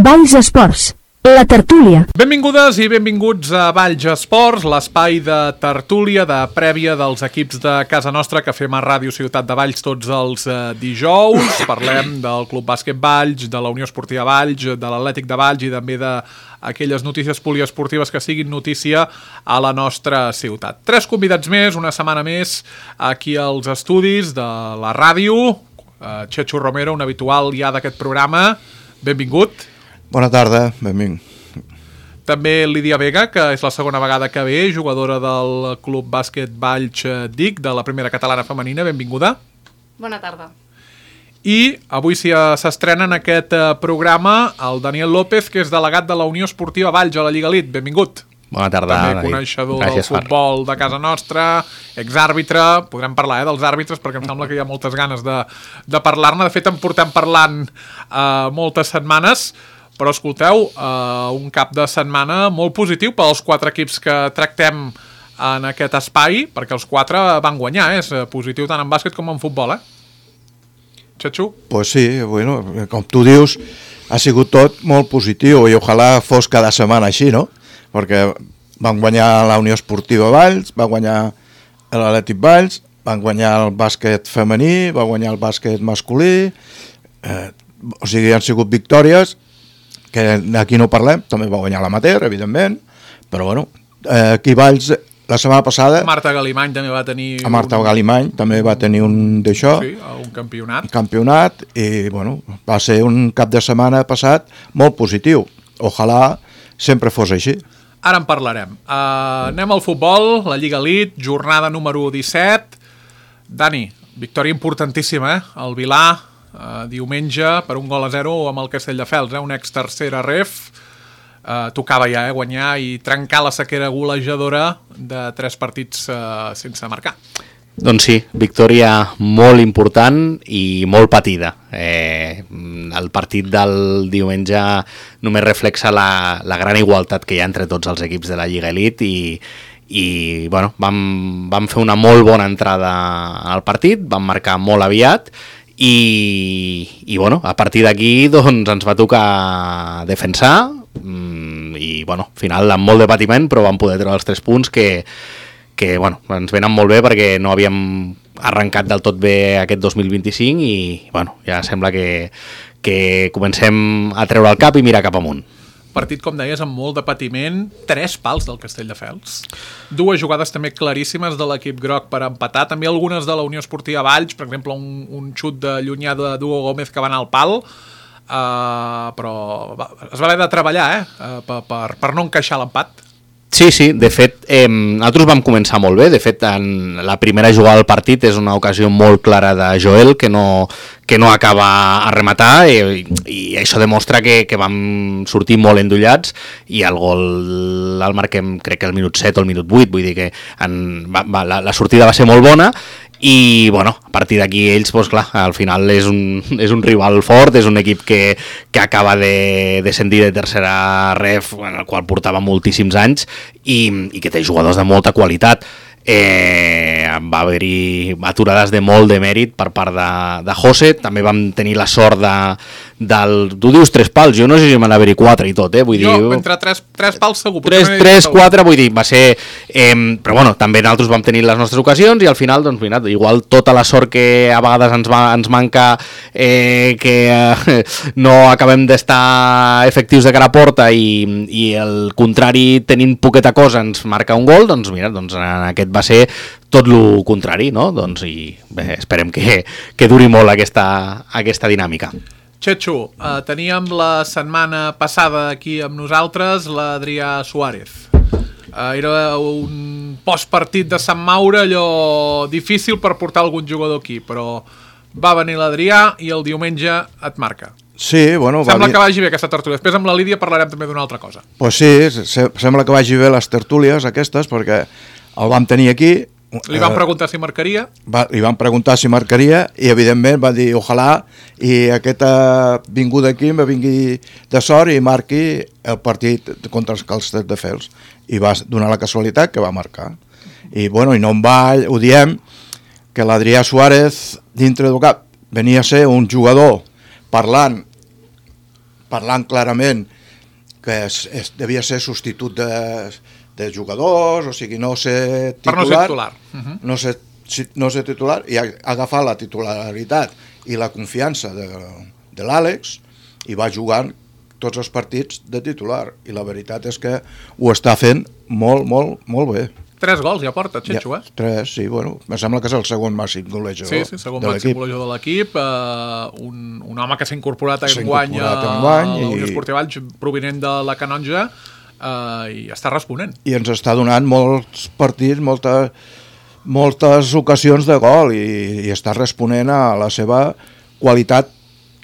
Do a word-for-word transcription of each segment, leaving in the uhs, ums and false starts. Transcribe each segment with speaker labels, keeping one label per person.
Speaker 1: Valls Esports, la tertúlia.
Speaker 2: Benvingudes i benvinguts a Valls Esports, l'espai de tertúlia de prèvia dels equips de casa nostra que fem a Ràdio Ciutat de Valls tots els eh, dijous. Parlem del Club Bàsquet Valls, de la Unió Esportiva Valls, de l'Atlètic de Valls i també d'aquelles notícies poliesportives que siguin notícia a la nostra ciutat. Tres convidats més, una setmana més, aquí als estudis de la ràdio. Eh, Chechu Romero, un habitual ja d'aquest programa. Benvingut.
Speaker 3: Bona tarda, benvingut.
Speaker 2: També Lídia Vega, que és la segona vegada que ve, jugadora del Club Bàsquet Valls D I C, de la primera catalana femenina. Benvinguda.
Speaker 4: Bona tarda.
Speaker 2: I avui s'estrena en aquest programa el Daniel López, que és delegat de la Unió Esportiva Valls a la Lliga Elite. Benvingut.
Speaker 5: Bona tarda.
Speaker 2: També coneixedor del futbol de casa nostra, exàrbitre. Podrem parlar eh, dels àrbitres perquè em sembla que hi ha moltes ganes de, de parlar-ne. De fet, en portem parlant eh, moltes setmanes. Però escolteu, uh, un cap de setmana molt positiu pels quatre equips que tractem en aquest espai, perquè els quatre van guanyar, eh? És positiu tant en bàsquet com en futbol, eh? Chechu?
Speaker 3: Pues sí, bueno, com tu dius, ha sigut tot molt positiu i ojalà fos cada setmana així, no? Perquè van guanyar la Unió Esportiva Valls, va guanyar l'Atlètic Valls, van guanyar el bàsquet femení, va guanyar el bàsquet masculí, eh, o sigui, han sigut victòries que aquí no parlem, també va guanyar l'amateur, evidentment, però bueno, eh, aquí Valls, la setmana passada...
Speaker 2: Marta Galimany també va tenir...
Speaker 3: A Marta un... Galimany també va tenir un d'això...
Speaker 2: Sí, un campionat.
Speaker 3: Un campionat, i bueno, va ser un cap de setmana passat molt positiu. Ojalà sempre fos així.
Speaker 2: Ara en parlarem. Uh, anem al futbol, la Lliga Elite, jornada número disset. Dani, victòria importantíssima, eh? El Vilà... Uh, diumenge per un gol a zero amb el Castelldefels, eh? Un ex-tercera ref. Uh, tocava ja eh? guanyar i trencar la sequera golejadora de tres partits uh, sense marcar.
Speaker 5: Doncs sí, victòria molt important i molt patida. Eh, el partit del diumenge només reflexa la, la gran igualtat que hi ha entre tots els equips de la Lliga Elite i, i bueno, vam, vam fer una molt bona entrada al partit, vam marcar molt aviat I, i bueno, a partir d'aquí doncs, ens va tocar defensar i bueno, al final amb molt de patiment però vam poder treure els tres punts que, que bueno, ens venen molt bé perquè no havíem arrencat del tot bé aquest dos mil vint-i-cinc i bueno, ja sembla que, que comencem a treure el cap i mirar cap amunt.
Speaker 2: Partit, com deies, amb molt de patiment, tres pals del Castelldefels, dues jugades també claríssimes de l'equip groc per empatar, també algunes de la Unió Esportiva Valls, per exemple un, un xut de llunyà de Duo Gómez que va anar al pal, uh, però va, es va haver de treballar eh, uh, per, per, per no encaixar l'empat.
Speaker 5: Sí, sí, de fet, eh, nosaltres vam començar molt bé, de fet, en la primera jugada del partit és una ocasió molt clara de Joel, que no, que no acaba a rematar, i, i això demostra que, que vam sortir molt endollats, i el gol el marquem, crec que al minut set o al minut vuit, vull dir que en, va, va, la, la sortida va ser molt bona, i bueno, a partir d'aquí ells, doncs clar, al final és un, és un rival fort, és un equip que, que acaba de descendir de tercera ref, en el qual portava moltíssims anys i, i que té jugadors de molta qualitat. Eh, va haver-hi aturades de molt de mèrit per part de, de José, també vam tenir la sort de, del... Tu dius tres pals, jo no sé si m'han haver-hi quatre i tot, eh? Vull
Speaker 2: jo,
Speaker 5: dir,
Speaker 2: entre tres, tres pals segur.
Speaker 5: Tres, tres, quatre, vull dir, va ser... Eh, però bueno, també nosaltres vam tenir les nostres ocasions i al final, doncs mira, igual tota la sort que a vegades ens, va, ens manca eh, que eh, no acabem d'estar efectius de cara a porta i, i el contrari tenint poqueta cosa ens marca un gol, doncs mira, doncs en aquest va ser tot el contrari, no? Doncs i bé, esperem que, que duri molt aquesta, aquesta dinàmica.
Speaker 2: Chechu, eh, teníem la setmana passada aquí amb nosaltres l'Adrià Suárez. Eh, era un postpartit de Sant Maure, allò difícil per portar algun jugador aquí, però va venir l'Adrià i el diumenge et marca.
Speaker 3: Sí, bueno...
Speaker 2: Sembla
Speaker 3: va
Speaker 2: que vagi bé aquesta tertúlia. Després amb la Lídia parlarem també d'una altra cosa.
Speaker 3: Pues sí, se, sembla que vagi bé les tertúlies aquestes, perquè el vam tenir aquí...
Speaker 2: Li van preguntar si marcaria.
Speaker 3: Va, li van preguntar si marcaria i evidentment va dir ojalà i aquesta vinguda aquí me vingui de sort i marqui el partit contra els Castelldefels. I va donar la casualitat que va marcar. I bueno, i no en va, ho diem, que l'Adrià Suárez dintre del cap venia a ser un jugador parlant parlant clarament que es, es, devia ser substitut de, de jugadors, o sigui, no ser titular,
Speaker 2: per no ser titular. Uh -huh.
Speaker 3: no, ser, no ser titular i agafar la titularitat i la confiança de, de l'Àlex i va jugant tots els partits de titular, i la veritat és que ho està fent molt, molt, molt bé.
Speaker 2: Tres gols ja porta, Txetxo, eh?
Speaker 3: Ja, tres, sí, bueno, em sembla que és el segon màxim golejador
Speaker 2: sí, sí, segon
Speaker 3: de
Speaker 2: màxim
Speaker 3: l'equip.
Speaker 2: golejador de l'equip, uh, un, un home que s'ha incorporat a enguany a
Speaker 3: enguany
Speaker 2: la Unió
Speaker 3: i...
Speaker 2: Esportiva Valls, provinent de la Canonja, uh, i està responent.
Speaker 3: I ens està donant molts partits, molta, moltes ocasions de gol, i, i està responent a la seva qualitat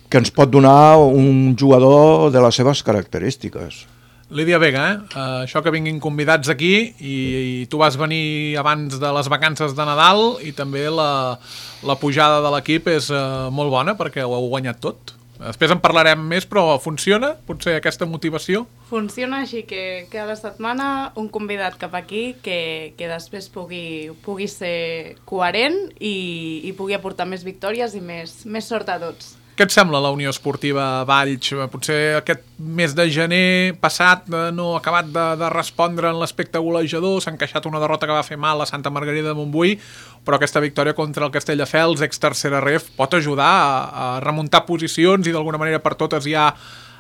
Speaker 3: que ens pot donar un jugador de les seves característiques.
Speaker 2: Lídia Vega, eh? Uh, això que vinguin convidats aquí i, i tu vas venir abans de les vacances de Nadal i també la, la pujada de l'equip és uh, molt bona perquè ho heu guanyat tot. Després en parlarem més, però funciona? Potser aquesta motivació?
Speaker 4: Funciona així que cada setmana un convidat cap aquí que, que després pugui, pugui ser coherent i, i pugui aportar més victòries i més, més sort a tots.
Speaker 2: Què et sembla la Unió Esportiva Valls? Potser aquest mes de gener passat no ha acabat de, de respondre en l'aspecte golejador, s'ha encaixat una derrota que va fer mal a Santa Margarida de Montbui, però aquesta victòria contra el Castelldefels, ex-tercera ref, pot ajudar a, a remuntar posicions i d'alguna manera per totes ja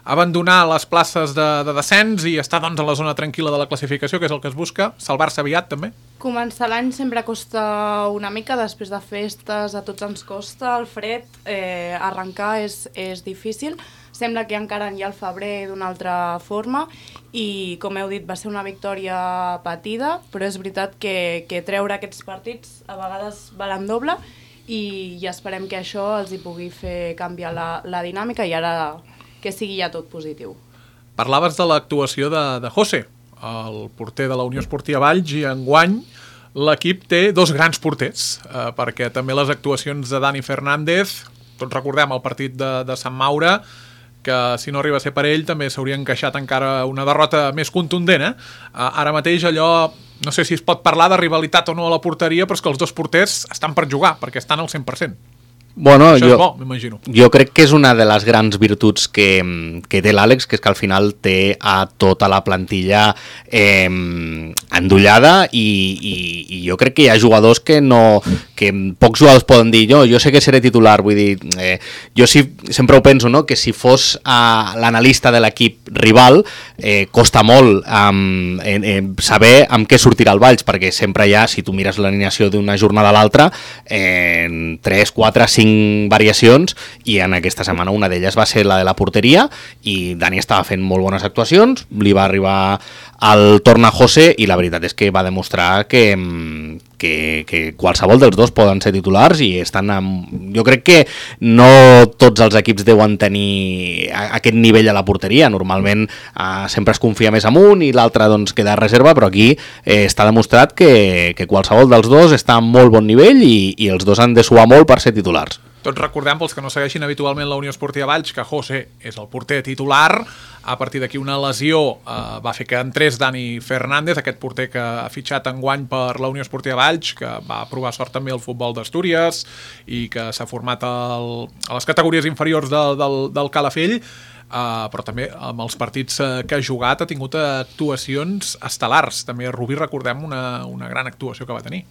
Speaker 2: abandonar les places de, de descens i estar doncs, a la zona tranquil·la de la classificació, que és el que es busca, salvar-se aviat també.
Speaker 4: Començar l'any sempre costa una mica, després de festes a tots ens costa, el fred, eh, arrencar és, és difícil, sembla que encara hi ha el febrer d'una altra forma i, com heu dit, va ser una victòria patida, però és veritat que, que treure aquests partits a vegades valen doble i, i esperem que això els hi pugui fer canviar la, la dinàmica i ara que sigui ja tot positiu.
Speaker 2: Parlaves de l'actuació de, de José, el porter de la Unió Esportiva Valls, i enguany l'equip té dos grans porters, eh, perquè també les actuacions de Dani Fernández, tots recordem el partit de, de Sant Maure, que si no arriba a ser per ell també s'hauria encaixat encara una derrota més contundent. Eh? Ara mateix allò, no sé si es pot parlar de rivalitat o no a la porteria, però és que els dos porters estan per jugar, perquè estan al cent per cent.
Speaker 5: Bueno,
Speaker 2: Això
Speaker 5: jo,
Speaker 2: és bo, m'imagino.
Speaker 5: Jo crec que és una de les grans virtuts que, que té l'Àlex, que és que al final té a tota la plantilla eh, endollada i, i, i jo crec que hi ha jugadors que no que pocs jugadors poden dir jo, jo sé que seré titular, vull dir eh, jo sí, sempre ho penso, no? Que si fos eh, l'analista de l'equip rival eh, costa molt eh, eh, saber amb què sortirà el Valls, perquè sempre hi ha, si tu mires l'alineació d'una jornada a l'altra, eh, tres, quatre, cinc variacions i en aquesta setmana una d'elles va ser la de la porteria i Dani estava fent molt bones actuacions, li va arribar el torn a José i la veritat és que va demostrar que, que, que qualsevol dels dos poden ser titulars i estan amb... Jo crec que no tots els equips deuen tenir aquest nivell a la porteria, normalment eh, sempre es confia més amunt i l'altre doncs, queda a reserva, però aquí eh, està demostrat que, que qualsevol dels dos està a molt bon nivell i, i els dos han de suar molt per ser titulars.
Speaker 2: Tots recordem, pels que no segueixin habitualment la Unió Esportiva Valls, que José és el porter titular. A partir d'aquí una lesió eh, va fer que entrés Dani Fernández, aquest porter que ha fitxat enguany per la Unió Esportiva Valls, que va provar sort també al futbol d'Astúries i que s'ha format el, a les categories inferiors del, del, del Calafell, eh, però també amb els partits eh, que ha jugat ha tingut actuacions estel·lars. També Rubí recordem una, una gran actuació que va tenir.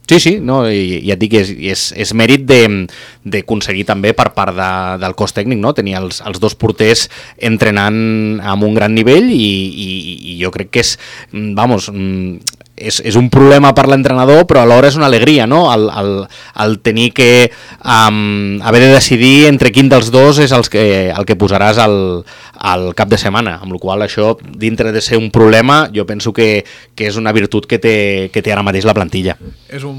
Speaker 5: Sí, sí, no, i, ja et dic, és, és, és mèrit d'aconseguir també per part de, del cos tècnic, no? Tenir els, els dos porters entrenant amb un gran nivell i, i, i jo crec que és, vamos, és, és un problema per l'entrenador, però alhora és una alegria, no? El, el, el tenir que um, haver de decidir entre quin dels dos és els que, el que posaràs al, al cap de setmana, amb la qual cosa això, dintre de ser un problema, jo penso que, que és una virtut que té, que té ara mateix la plantilla.
Speaker 2: És un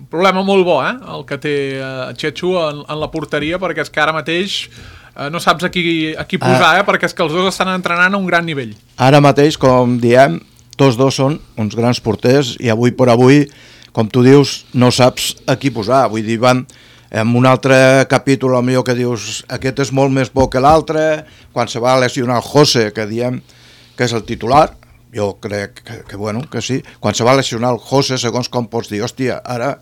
Speaker 2: problema molt bo, eh? El que té uh, Txetxo en, en la porteria, perquè és que ara mateix uh, no saps a qui, a qui posar, eh? Perquè és que els dos estan entrenant a un gran nivell.
Speaker 3: Ara mateix, com diem, tots dos són uns grans porters i avui per avui, com tu dius, no saps a qui posar. Vull dir, van en un altre capítol, millor que dius, aquest és molt més bo que l'altre, quan se va lesionar el José, que diem que és el titular, jo crec que, que, bueno, que sí, quan se va lesionar el José, segons com pots dir, hòstia, ara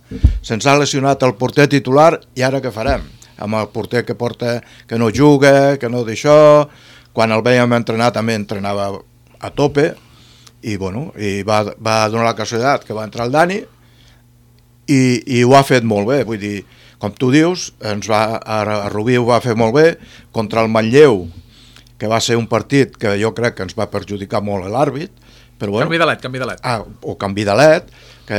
Speaker 3: se'ns ha lesionat el porter titular i ara què farem? Amb el porter que porta, que no juga, que no d'això, quan el veiem entrenar també entrenava a tope, i, bueno, i va, va donar la casualitat que va entrar el Dani i, i ho ha fet molt bé, vull dir, com tu dius, ens va, a Rubí ho va fer molt bé, contra el Manlleu, que va ser un partit que jo crec que ens va perjudicar molt l'àrbit, però bueno,
Speaker 2: canvi de led, canvi de led.
Speaker 3: Ah, o canvi de led, que,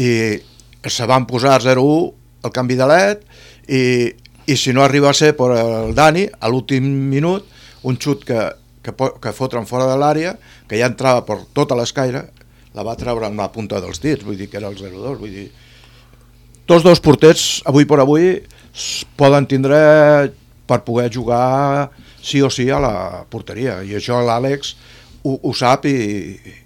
Speaker 3: i se van posar zero u el canvi de led, i, i si no arriba a ser per el Dani, a l'últim minut, un xut que, que, que fotren fora de l'àrea, que ja entrava per tota l'escaire, la va treure amb la punta dels dits, vull dir que era el zero dos, vull dir... Tots dos porters, avui per avui, poden tindre per poder jugar sí o sí a la porteria, i això l'Àlex ho, ho sap i,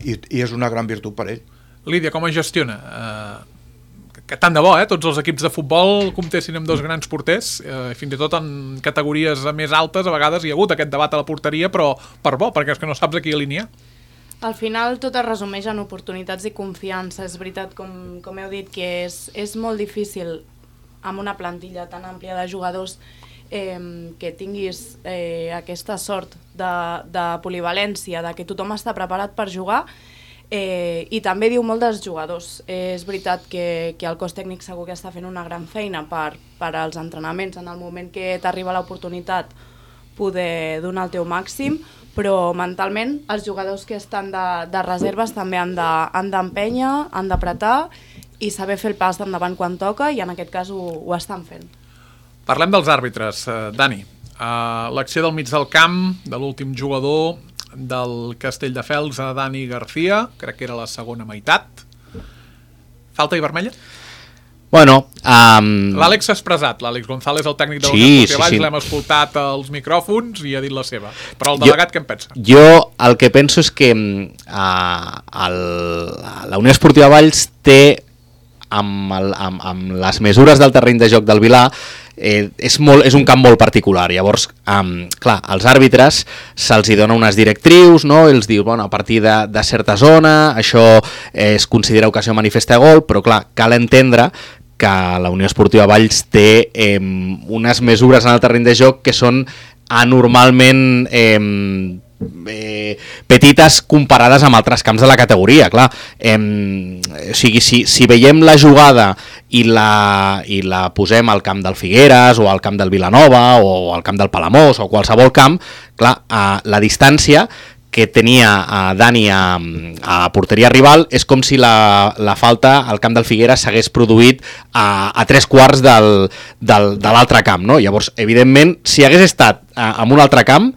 Speaker 3: i, i és una gran virtut per ell.
Speaker 2: Lídia, com es gestiona? Uh, que tant de bo, eh? Tots els equips de futbol comptessin amb dos grans porters, uh, fins i tot en categories més altes, a vegades hi ha hagut aquest debat a la porteria, però per bo, perquè és que no saps a qui alinear.
Speaker 4: Al final tot es resumeix en oportunitats i confiança. És veritat, com, com heu dit, que és, és molt difícil amb una plantilla tan àmplia de jugadors eh, que tinguis eh, aquesta sort de, de polivalència, de que tothom està preparat per jugar, eh, i també diu molt dels jugadors. Eh, és veritat que, que el cos tècnic segur que està fent una gran feina per, per als entrenaments, en el moment que t'arriba l'oportunitat poder donar el teu màxim, però mentalment els jugadors que estan de, de reserves també han d'empènyer, de, han d'apretar i saber fer el pas d'endavant quan toca, i en aquest cas ho, ho estan fent.
Speaker 2: Parlem dels àrbitres, uh, Dani. Uh, l'acció del mig del camp, de l'últim jugador del Castelldefels, a Dani García, crec que era la segona meitat. Falta i vermella?
Speaker 5: Bueno, um...
Speaker 2: l'Àlex s'ha expressat, l'Àlex González, el tècnic de
Speaker 5: sí,
Speaker 2: l'Unió Esportiva Valls,
Speaker 5: sí, sí.
Speaker 2: l'hem escoltat als micròfons i ha dit la seva. Però el delegat, jo, què en pensa?
Speaker 5: Jo el que penso és que uh, el, la Unió Esportiva Valls té, amb, el, amb, amb les mesures del terreny de joc del Vilà, eh, és, molt, és un camp molt particular. Llavors, um, clar, als àrbitres se'ls hi dona unes directrius, no? Els diu, bueno, a partir de, de certa zona, això eh, es considera ocasió manifesta de gol, però clar, cal entendre que la Unió Esportiva Valls té eh, unes mesures en el terreny de joc que són anormalment eh, eh, petites comparades amb altres camps de la categoria, clar. Eh, o sigui, si, si veiem la jugada i la, i la posem al camp del Figueres o al camp del Vilanova o al camp del Palamós o qualsevol camp, clar, eh, la distància que tenia a Dani a, a porteria rival és com si la, la falta al camp del Figueres s'hagués produït a, a tres quarts del, del, de l'altre camp, no? Llavors, evidentment, si hagués estat a, en un altre camp,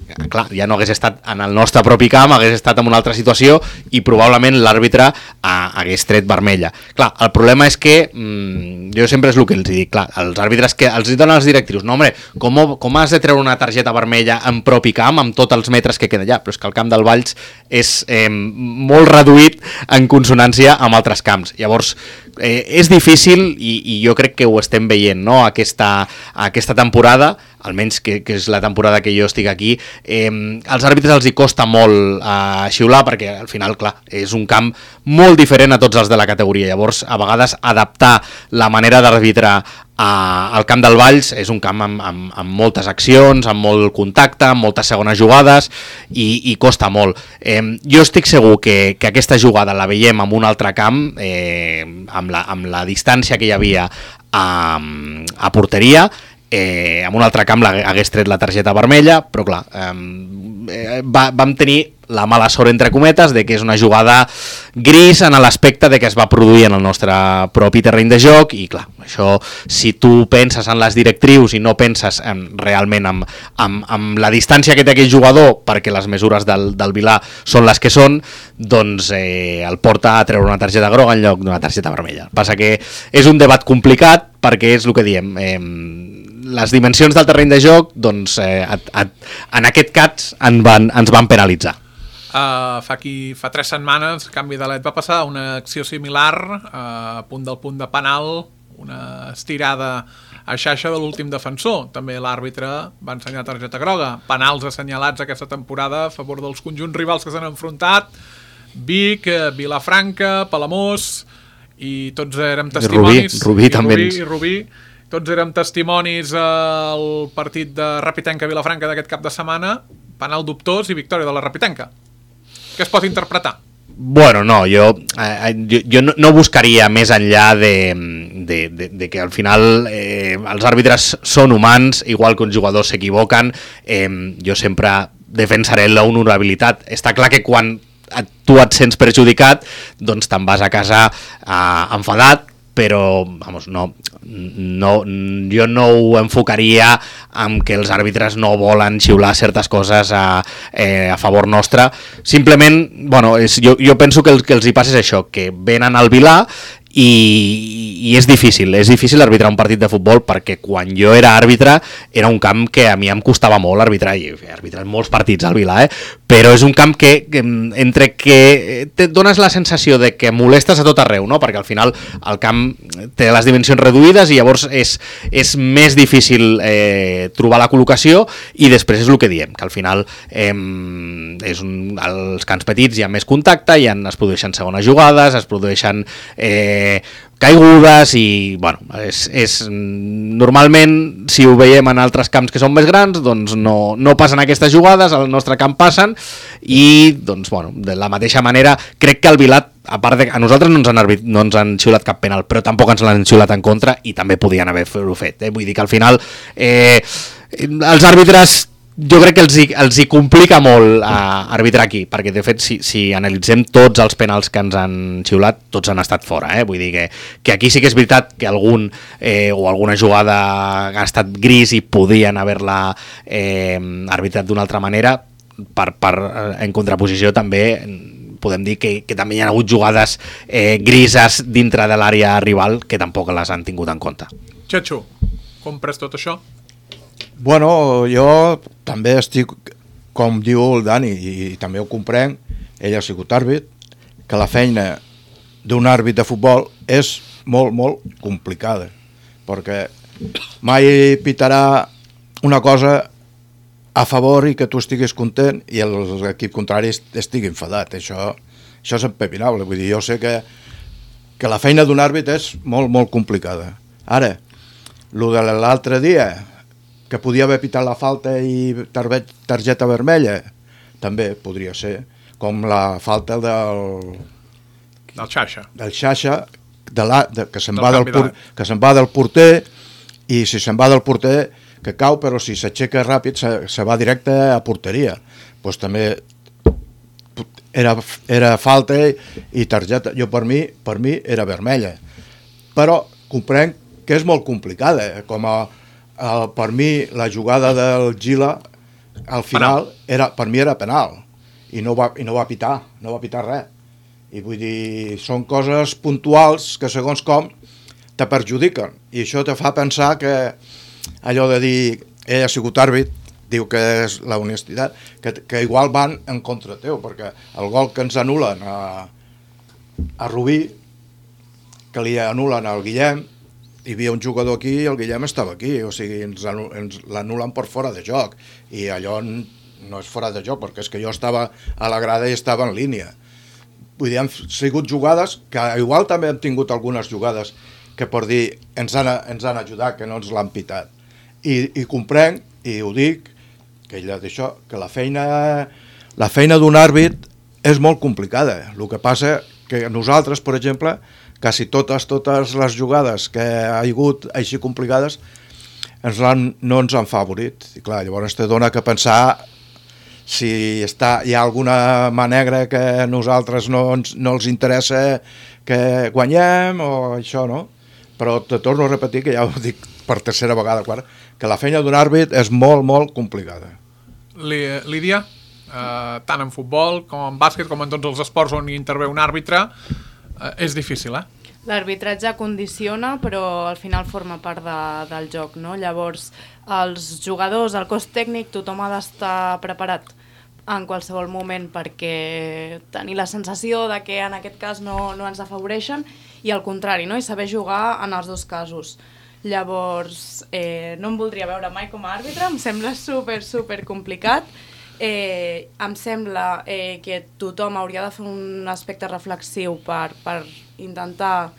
Speaker 5: clar, ja no hagués estat en el nostre propi camp, hagués estat en una altra situació i probablement l'àrbitre hagués tret vermella. Clar, el problema és que mmm, jo sempre és el que els dic, clar, els àrbitres que els donen els directrius, no home, com, com has de treure una targeta vermella en propi camp amb tots els metres que queda allà? Però és que el camp del Valls és eh, molt reduït en consonància amb altres camps. Llavors, eh, és difícil i, i jo crec que ho estem veient, no? Aquesta, aquesta temporada, almenys que, que és la temporada que jo estic aquí, eh, als àrbitres els hi costa molt eh, xiular perquè al final, clar, és un camp molt diferent a tots els de la categoria. Llavors, a vegades adaptar la manera d'arbitrar eh, al camp del Valls és un camp amb, amb, amb moltes accions, amb molt contacte, amb moltes segones jugades i, i costa molt. Eh, jo estic segur que, que aquesta jugada la veiem en un altre camp, eh, amb, la, amb la distància que hi havia a, a porteria, Eh, en un altre camp hagués tret la targeta vermella, però clar, eh, va, vam tenir la mala sort, entre cometes, de que és una jugada gris en l'aspecte de que es va produir en el nostre propi terreny de joc i clar, això, si tu penses en les directrius i no penses en, realment en, en, en la distància que té aquell jugador perquè les mesures del, del Vilà són les que són, doncs eh, el porta a treure una targeta groga en lloc d'una targeta vermella. Passa que és un debat complicat perquè és el que diem, eh, les dimensions del terreny de joc, doncs eh, a, a, en aquest cas en van, ens van penalitzar.
Speaker 2: Uh, fa, aquí, fa tres setmanes, canvi de led, va passar una acció similar, uh, a punt del punt de penal, una estirada a xaixa de l'últim defensor. També l'àrbitre va ensenyar targeta groga. Penals assenyalats aquesta temporada a favor dels conjunts rivals que s'han enfrontat, Vic, Vilafranca, Palamós, i tots érem testimonis.
Speaker 5: I Rubí, Rubí
Speaker 2: i
Speaker 5: també.
Speaker 2: Rubí, i Rubí. Tots érem testimonis al partit de Rapitenca Vilafranca d'aquest cap de setmana. penal dubtós i victòria de la Rapitenca. Què es pot interpretar?
Speaker 5: Bueno, no, jo, eh, jo, jo no, no buscaria més enllà de, de, de, de que al final eh, els àrbitres són humans, igual que uns jugadors s'equivoquen, eh, jo sempre defensaré la honorabilitat. Està clar que quan tu et sents perjudicat, doncs te'n vas a casa eh, enfadat, però vamos, no, no, jo no ho enfocaria amb que els àrbitres no volen xiular certes coses a, eh, a favor nostre. Simplement, bueno, és, jo, jo penso que el que els hi passa és això, que venen al Vilà i, i és difícil, és difícil arbitrar un partit de futbol, perquè quan jo era àrbitre era un camp que a mi em costava molt arbitrar, i he arbitrat molts partits al Vilà, eh? Però és un camp que, que entre que te dones la sensació de que molestes a tot arreu, no? Perquè al final el camp té les dimensions reduïdes i llavors és, és més difícil eh, trobar la col·locació, i després és el que diem, que al final eh, és un, als camps petits hi ha més contacte, hi ha, es produeixen segones jugades, es produeixen eh, caigudes i, bueno, és, és, normalment, si ho veiem en altres camps que són més grans, doncs no, no passen aquestes jugades, al nostre camp passen, i, doncs, bueno, de la mateixa manera, crec que el Vilat, a part de a nosaltres no ens han, arbit, no ens han xiulat cap penal, però tampoc ens l'han xiulat en contra, i també podien haver-ho fet, eh? Vull dir que al final eh, els àrbitres jo crec que els hi, els hi complica molt a arbitrar aquí, perquè de fet si, si analitzem tots els penals que ens han xiulat, tots han estat fora, eh? Vull dir que, que aquí sí que és veritat que algun eh, o alguna jugada ha estat gris i podien haver-la eh, arbitrat d'una altra manera, per, per, en contraposició també podem dir que, que també hi ha hagut jugades eh, grises dintre de l'àrea rival que tampoc les han tingut en compte.
Speaker 2: Xatxo, compres tot això?
Speaker 3: Bueno, jo també estic, com diu el Dani, i, i també ho comprenc, ell ha sigut àrbit, que la feina d'un àrbit de futbol és molt, molt complicada, perquè mai pitarà una cosa a favor i que tu estiguis content i l'equip contrari estigui enfadat. Això, això és empepinable. Vull dir, jo sé que, que la feina d'un àrbit és molt, molt complicada. Ara, el de l'altre dia, que podia haver pitat la falta i targeta vermella, també podria ser, com la falta del...
Speaker 2: Del Xaixa.
Speaker 3: Del Xaixa, de la, de, que se'n va, que se'n va del porter, i si se'n va del porter, que cau, però si s'aixeca ràpid, se, se va directe a porteria. Doncs també era, era falta i targeta. Jo, per mi, per mi era vermella. Però comprenc que és molt complicada, com a El, per mi la jugada del Gila al final era, per mi era penal i no va, i no va pitar no va pitar res, i vull dir, són coses puntuals que segons com te perjudiquen, i això te fa pensar que allò de dir ell ha sigut àrbit, diu que és la honestitat, que, que igual van en contra teu, perquè el gol que ens anulen a, a Rubí, que li anulen al Guillem, hi havia un jugador aquí i el Guillem estava aquí, o sigui, ens, ens l'anulen per fora de joc, i allò no és fora de joc, perquè és que jo estava a la grada i estava en línia. Vull dir, han sigut jugades que igual també hem tingut algunes jugades que per dir ens han, ens han ajudat, que no ens l'han pitat. I, i comprenc, i ho dic, que ella d'això, que la feina, la feina d'un àrbit és molt complicada. El que passa que nosaltres, per exemple, quasi totes, totes les jugades que ha hagut així complicades ens no ens han favorit. I clar, llavors te dona que pensar si està, hi ha alguna mà negra que a nosaltres no, ens, no els interessa que guanyem o això, no? Però te torno a repetir, que ja ho dic per tercera vegada, clar, que la feina d'un àrbit és molt, molt complicada.
Speaker 2: Lídia, eh, tant en futbol com en bàsquet, com en tots els esports on hi intervé un àrbitre, és difícil, eh?
Speaker 4: L'arbitratge condiciona, però al final forma part de, del joc, no? Llavors, els jugadors, el cos tècnic, tothom ha d'estar preparat en qualsevol moment perquè tenir la sensació de que en aquest cas no, no ens afavoreixen, i al contrari, no? I saber jugar en els dos casos. Llavors, eh, no em voldria veure mai com a àrbitre, em sembla super, super complicat. Eh, em sembla eh, que tothom hauria de fer un aspecte reflexiu per, per intentar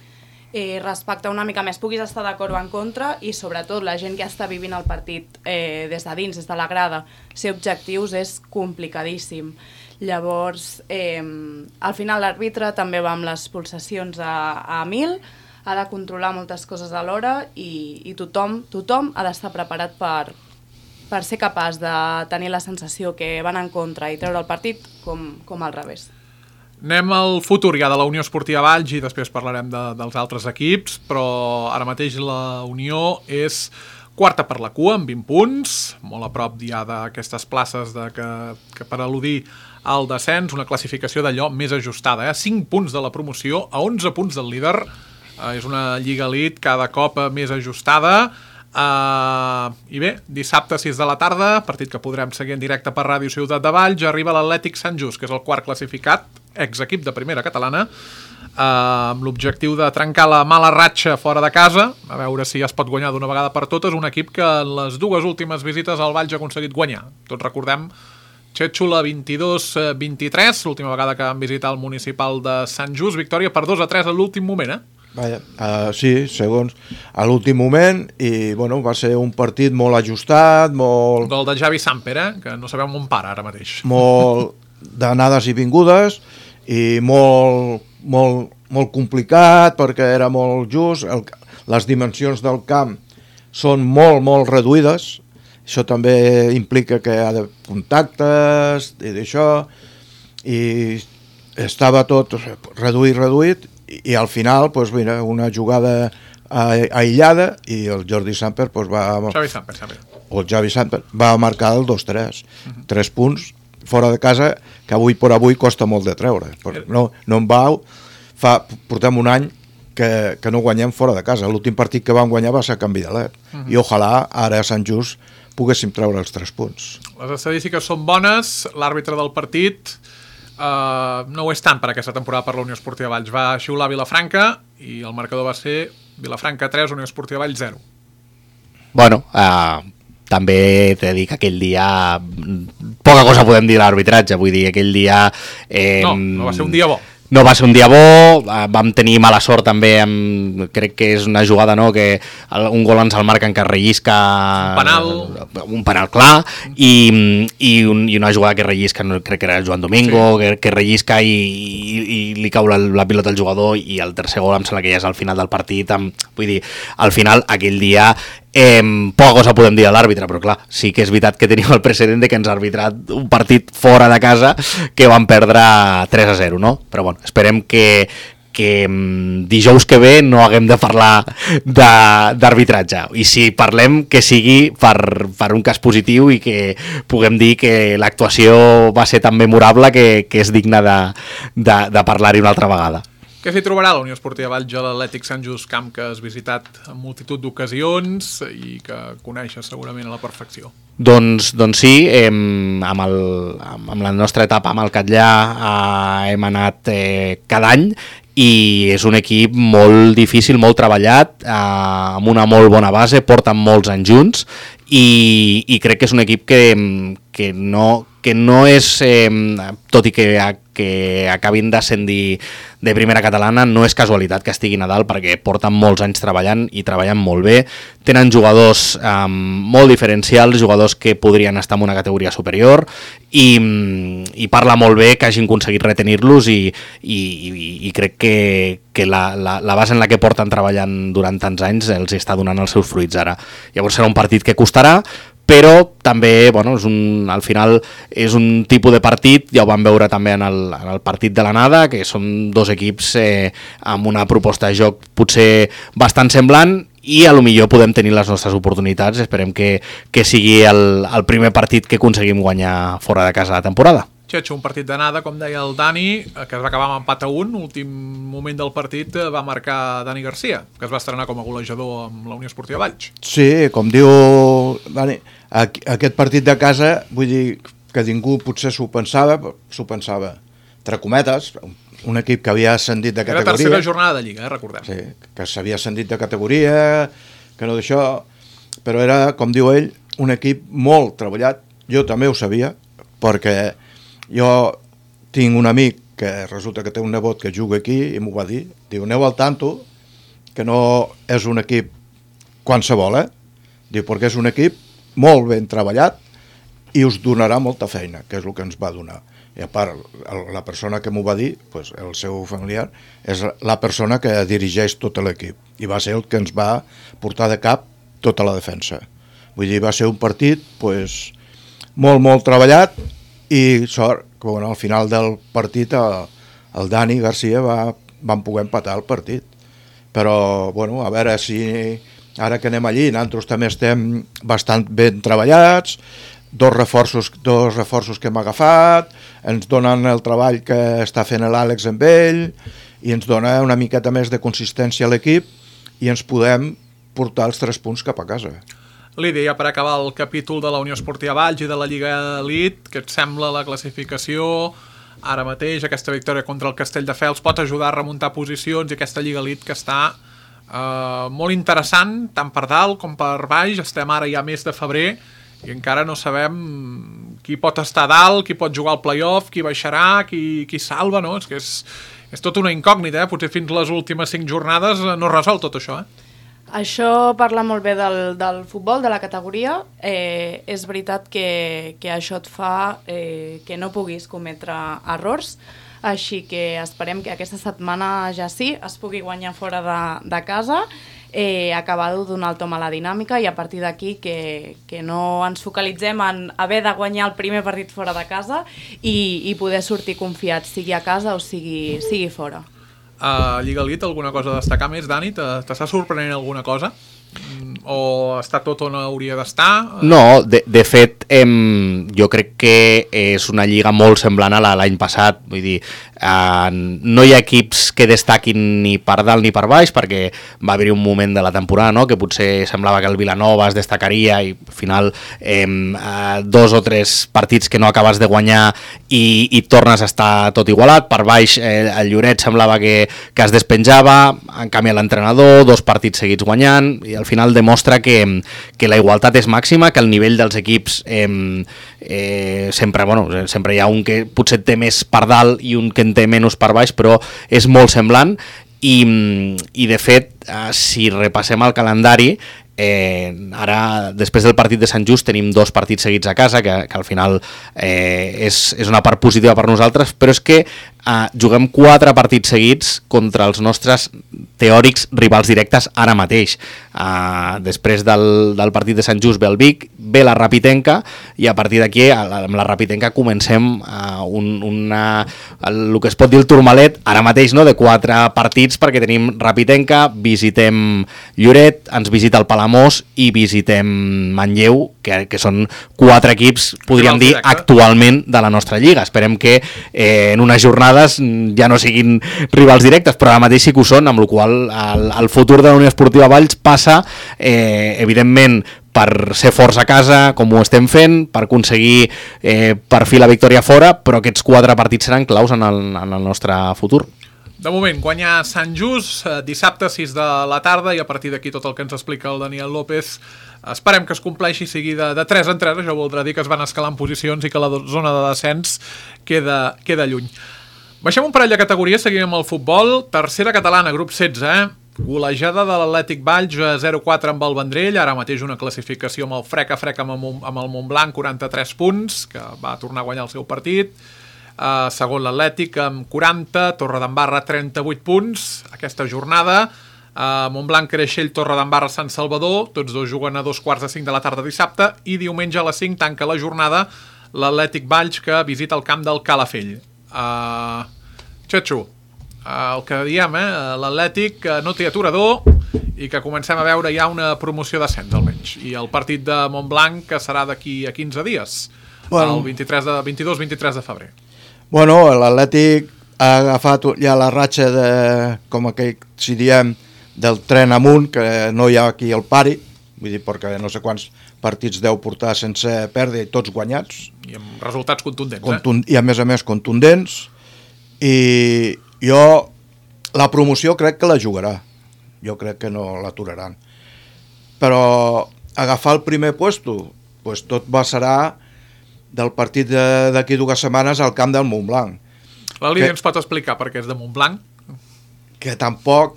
Speaker 4: eh, respectar una mica més, puguis estar d'acord o en contra, i sobretot la gent que està vivint el partit eh, des de dins, des de la grada, ser objectius és complicadíssim. Llavors, eh, al final l'àrbitre també va amb les pulsacions a, a mil, ha de controlar moltes coses alhora i, i tothom, tothom ha d'estar preparat per, per ser capaç de tenir la sensació que van en contra i treure el partit com, com al revés.
Speaker 2: Anem al futur ja de la Unió Esportiva Valls i després parlarem de, dels altres equips, però ara mateix la Unió és quarta per la cua amb vint punts, molt a prop ja d'aquestes places de que, que per al·ludir al descens, una classificació d'allò més ajustada, eh? cinc punts de la promoció a onze punts del líder, eh, és una lliga elit cada cop més ajustada. Uh, i bé, dissabte sis de la tarda, partit que podrem seguir en directe per Ràdio Ciutat de Valls, arriba l'Atlètic Sant Just, que és el quart classificat, exequip de primera catalana, uh, amb l'objectiu de trencar la mala ratxa fora de casa, a veure si ja es pot guanyar d'una vegada per totes, un equip que en les dues últimes visites al Valls ha aconseguit guanyar. Tots recordem Xéxola vint-i-dos vint-i-tres, l'última vegada que van visitar el municipal de Sant Just, victòria per dos a tres a l'últim moment, eh?
Speaker 3: Vaja, uh, sí, segons a l'últim moment, i bueno, va ser un partit molt ajustat, molt...
Speaker 2: Gol de Javi Samper, eh? Que no sabem on para ara mateix.
Speaker 3: Molt d'anades i vingudes, i molt, molt, molt complicat, perquè era molt just, el, les dimensions del camp són molt, molt reduïdes, això també implica que hi ha de contactes i d'això, i estava tot reduït, reduït, i al final, pues, mira, una jugada aïllada i el Jordi Samper pues, va...
Speaker 2: Xavi Samper, Samper.
Speaker 3: O el Xavi Samper va marcar el dos tres. Uh-huh. Tres punts fora de casa que avui per avui costa molt de treure. No, no en vau. Fa, portem un any que, que no guanyem fora de casa. L'últim partit que vam guanyar va ser a Can Vidalet. Uh-huh. I ojalà ara a Sant Just poguéssim treure els tres punts.
Speaker 2: Les estadístiques són bones. L'àrbitre del partit... Uh, no ho és tant per aquesta temporada per la Unió Esportiva Valls. Va xiular Vilafranca i el marcador va ser Vilafranca tres, Unió Esportiva Valls zero.
Speaker 5: Bueno, uh, també t'he de dir que aquell dia poca cosa podem dir de l'arbitratge, vull dir, aquell dia... Eh,
Speaker 2: no, no va ser un dia bo.
Speaker 5: No va ser un dia bo, vam tenir mala sort també, amb, crec que és una jugada, no?, que un gol ens el marquen que rellisca...
Speaker 2: Un penal.
Speaker 5: Un penal clar, i, i, un, i una jugada que rellisca, no, crec que era Joan Domingo, sí. que, que rellisca i, i, i li cau la, la pilota al jugador, i el tercer gol em sembla que ja és al final del partit. Amb, vull dir, al final, aquell dia... Eh, poca cosa podem dir a l'àrbitre, però clar, sí que és veritat que tenim el precedent de que ens ha arbitrat un partit fora de casa que van perdre tres a zero, no? Però bueno, esperem que, que dijous que ve no haguem de parlar d'arbitratge, i si parlem que sigui per, per un cas positiu i que puguem dir que l'actuació va ser tan memorable que, que és digna de, de, de parlar-hi una altra vegada.
Speaker 2: Què s'hi trobarà la Unió Esportiva Valls a l'Atlètic Sant Just, camp que has visitat en multitud d'ocasions i que coneixes segurament a la perfecció?
Speaker 5: Doncs, doncs sí, hem, amb, el, amb la nostra etapa amb el Catllà eh, hem anat eh, cada any, i és un equip molt difícil, molt treballat, eh, amb una molt bona base, porten molts anys junts, i, i crec que és un equip que, que, no, que no és, eh, tot i que, que acabin d'ascendir de primera catalana, no és casualitat que estiguin a dalt, perquè porten molts anys treballant i treballen molt bé, tenen jugadors eh, molt diferencials, jugadors que podrien estar en una categoria superior, i, i parla molt bé que hagin aconseguit retenir-los, i, i, i, i crec que, que la, la, la base en la que porten treballant durant tants anys els està donant els seus fruits ara. Llavors serà un partit que costarà, però també, bueno, és un, al final és un tipus de partit, ja ho vam veure també en el, en el partit de l'anada, que són dos equips eh, amb una proposta de joc potser bastant semblant, i a lo millor podem tenir les nostres oportunitats. Esperem que, que sigui el, el primer partit que aconseguim guanyar fora de casa la temporada.
Speaker 2: Xetxo, un partit d'anada, com deia el Dani, que es va acabar amb empat a un. L'últim moment del partit va marcar Dani Garcia, que es va estrenar com a golejador amb la Unió Esportiva Valls.
Speaker 3: Sí, com diu Dani, aquest partit de casa, vull dir que ningú potser s'ho pensava, s'ho pensava, entre cometes, un equip que havia ascendit de categoria.
Speaker 2: Era tercera jornada de Lliga, eh, recordem.
Speaker 3: Sí, que s'havia ascendit de categoria, que no d'això, però era, com diu ell, un equip molt treballat. Jo també ho sabia, perquè jo tinc un amic que resulta que té un nebot que juga aquí i m'ho va dir, diu, aneu al tanto, que no és un equip qualsevol, eh? Diu, perquè és un equip molt ben treballat i us donarà molta feina, que és el que ens va donar. I a part, la persona que m'ho va dir, pues, el seu familiar, és la persona que dirigeix tot l'equip i va ser el que ens va portar de cap tota la defensa. Vull dir, va ser un partit pues, molt, molt treballat i sort que bueno, al final del partit el, el Dani Garcia va, van poder empatar el partit. Però, bueno, a veure si ara que anem allí, nosaltres també estem bastant ben treballats, dos reforços, dos reforços que hem agafat, ens donen el treball que està fent l'Àlex amb ell i ens dona una miqueta més de consistència a l'equip i ens podem portar els tres punts cap a casa.
Speaker 2: Lídia, per acabar el capítol de la Unió Esportiva Valls i de la Lliga Elite, què et sembla la classificació? Ara mateix aquesta victòria contra el Castelldefels pot ajudar a remuntar posicions i aquesta Lliga Elite que està eh, molt interessant, tant per dalt com per baix. Estem ara ja mes de febrer i encara no sabem qui pot estar dalt, qui pot jugar al play-off, qui baixarà, qui, qui salva, no? És que és, és tota una incògnita, eh? Potser fins les últimes cinc jornades no es resol tot això, eh?
Speaker 4: Això parla molt bé del, del futbol, de la categoria. Eh, és veritat que, que això et fa eh, que no puguis cometre errors, així que esperem que aquesta setmana ja sí es pugui guanyar fora de, de casa, eh, acabar de donar el tom a la dinàmica i a partir d'aquí que, que no ens focalitzem en haver de guanyar el primer partit fora de casa i, i poder sortir confiats, sigui a casa o sigui, sigui fora.
Speaker 2: A Lliga Elite, alguna cosa a destacar més, Dani? T'està sorprenent alguna cosa? O està tot on hauria d'estar?
Speaker 5: No, de, de fet, em, jo crec que és una lliga molt semblant a l'any passat. Vull dir, eh, no hi ha equips que destaquin ni per dalt ni per baix, perquè va haver-hi un moment de la temporada, no?, que potser semblava que el Vilanova es destacaria i al final eh, dos o tres partits que no acabes de guanyar i, i tornes a estar tot igualat. Per baix eh, el Lloret semblava que, que es despenjava, en canvi l'entrenador, dos partits seguits guanyant, i al final demostra que, que la igualtat és màxima, que el nivell dels equips eh, eh, sempre, bueno, sempre hi ha un que potser té més per dalt i un que en té menys per baix, però és molt semblant i, i de fet, eh, si repassem el calendari, Eh, ara, després del partit de Sant Just, tenim dos partits seguits a casa, que, que al final eh, és, és una part positiva per nosaltres, però és que eh, juguem quatre partits seguits contra els nostres teòrics rivals directes ara mateix. Eh, després del, del partit de Sant Just ve el Vic, ve la Rapitenca, i a partir d'aquí, amb la Rapitenca, comencem eh, un, una, el, el que es pot dir el turmalet, ara mateix, no?, de quatre partits, perquè tenim Rapitenca, visitem Lloret, ens visita el Palamós i visitem Manlleu, que, que són quatre equips, podríem dir, actualment de la nostra lliga. Esperem que eh, en unes jornades ja no siguin rivals directes, però ara mateix sí que ho són, amb la qual cosa el, el futur de la Unió Esportiva Valls passa, eh, evidentment, per ser forts a casa, com ho estem fent, per aconseguir eh, per fi la victòria fora, però aquests quatre partits seran claus en el, en el nostre futur.
Speaker 2: De moment, guanyar Sant Just, eh, dissabte sis de la tarda, i a partir d'aquí tot el que ens explica el Daniel López esperem que es compleixi, sigui de, de tres en tres, això voldrà dir que es van escalant posicions i que la zona de descens queda, queda lluny. Baixem un parell de categories, seguim amb el futbol. Tercera catalana, grup setze, eh? Golejada de l'Atlètic Valls, zero quatre amb el Vendrell, ara mateix una classificació amb el frec a frec amb el, amb el Montblanc, quaranta-tres punts, que va tornar a guanyar el seu partit. Uh, segon l'Atlètic amb quaranta, Torredembarra trenta-vuit punts aquesta jornada, uh, Montblanc, Creixell, Torredembarra, Sant Salvador, tots dos juguen a dos quarts de cinc de la tarda dissabte, i diumenge a les cinc tanca la jornada l'Atlètic Valls, que visita el camp del Calafell. uh, Xetxo, uh, el que diem, eh? l'Atlètic uh, no té aturador i que comencem a veure ja una promoció d'ascens almenys, i el partit de Montblanc que serà d'aquí a quinze dies, bueno, el vint-i-tres de, vint-i-dos vint-i-tres de febrer.
Speaker 3: Bueno, l'Atlètic ha agafat ja la ratxa de, com aquell, si diem, del tren amunt, que no hi ha aquí el pari, vull dir, perquè no sé quants partits deu portar sense perdre, tots guanyats.
Speaker 2: I amb resultats contundents,
Speaker 3: Contund
Speaker 2: eh?
Speaker 3: I a més a més contundents, i jo la promoció crec que la jugarà, jo crec que no l'aturaran. Però agafar el primer puesto, pues tot va serà del partit d'aquí dues setmanes al camp del Montblanc.
Speaker 2: La Lídia
Speaker 3: que,
Speaker 2: ens pot explicar per què és de Montblanc?
Speaker 3: Que tampoc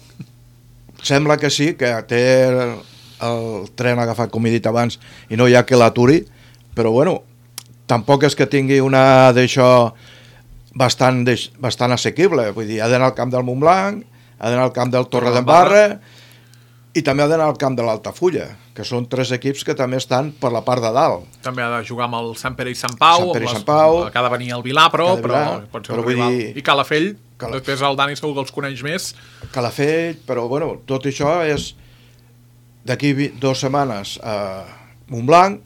Speaker 3: sembla que sí, que té el, el tren agafat, com he dit abans, i no hi ha que l'aturi, però bueno, tampoc és que tingui una d'això bastant, bastant assequible, vull dir, ha d'anar al camp del Montblanc, ha d'anar al camp del Torredembarra i també ha d'anar al camp de l'Altafulla, que són tres equips que també estan per la part de dalt.
Speaker 2: També ha de jugar amb el Sant Pere i Sant Pau,
Speaker 3: Sant Pere i
Speaker 2: les,
Speaker 3: Sant Pau,
Speaker 2: que ha de venir el Vilà, però, però
Speaker 3: Vilà,
Speaker 2: pot ser
Speaker 3: però
Speaker 2: un rival.
Speaker 3: dir,
Speaker 2: I Calafell,
Speaker 3: Cala...
Speaker 2: després el Dani segur que els coneix més.
Speaker 3: Calafell, però bueno, tot això és d'aquí dues setmanes a Montblanc,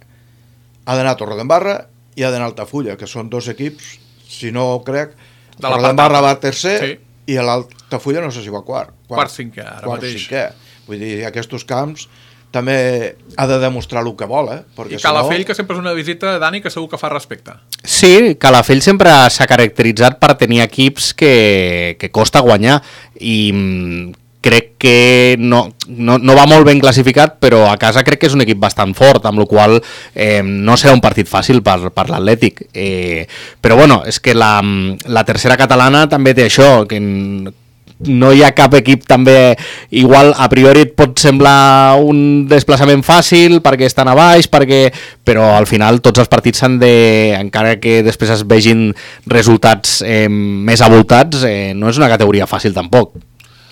Speaker 3: ha d'anar a Torredembarra i ha d'anar a Altafulla, que són dos equips, si no ho crec, Torredembarra va tercer, sí, i l'Altafulla no sé si va quart.
Speaker 2: Quart, quart cinquè, ara
Speaker 3: quart,
Speaker 2: mateix.
Speaker 3: Cinquè. Vull dir, aquests camps també ha de demostrar el que vol, eh? Perquè
Speaker 2: I Calafell,
Speaker 3: si no...
Speaker 2: que sempre és una visita, Dani, que segur que fa respecte.
Speaker 5: Sí, Calafell sempre s'ha caracteritzat per tenir equips que, que costa guanyar i crec que no, no, no va molt ben classificat, però a casa crec que és un equip bastant fort, amb la qual eh, no serà un partit fàcil per, per l'Atlètic. Eh, però bueno, és que la, la tercera catalana també té això, que no hi ha cap equip també, igual a priori et pot semblar un desplaçament fàcil perquè estan a baix, perquè... però al final tots els partits s'han de, encara que després es vegin resultats eh, més avoltats, eh, no és una categoria fàcil tampoc.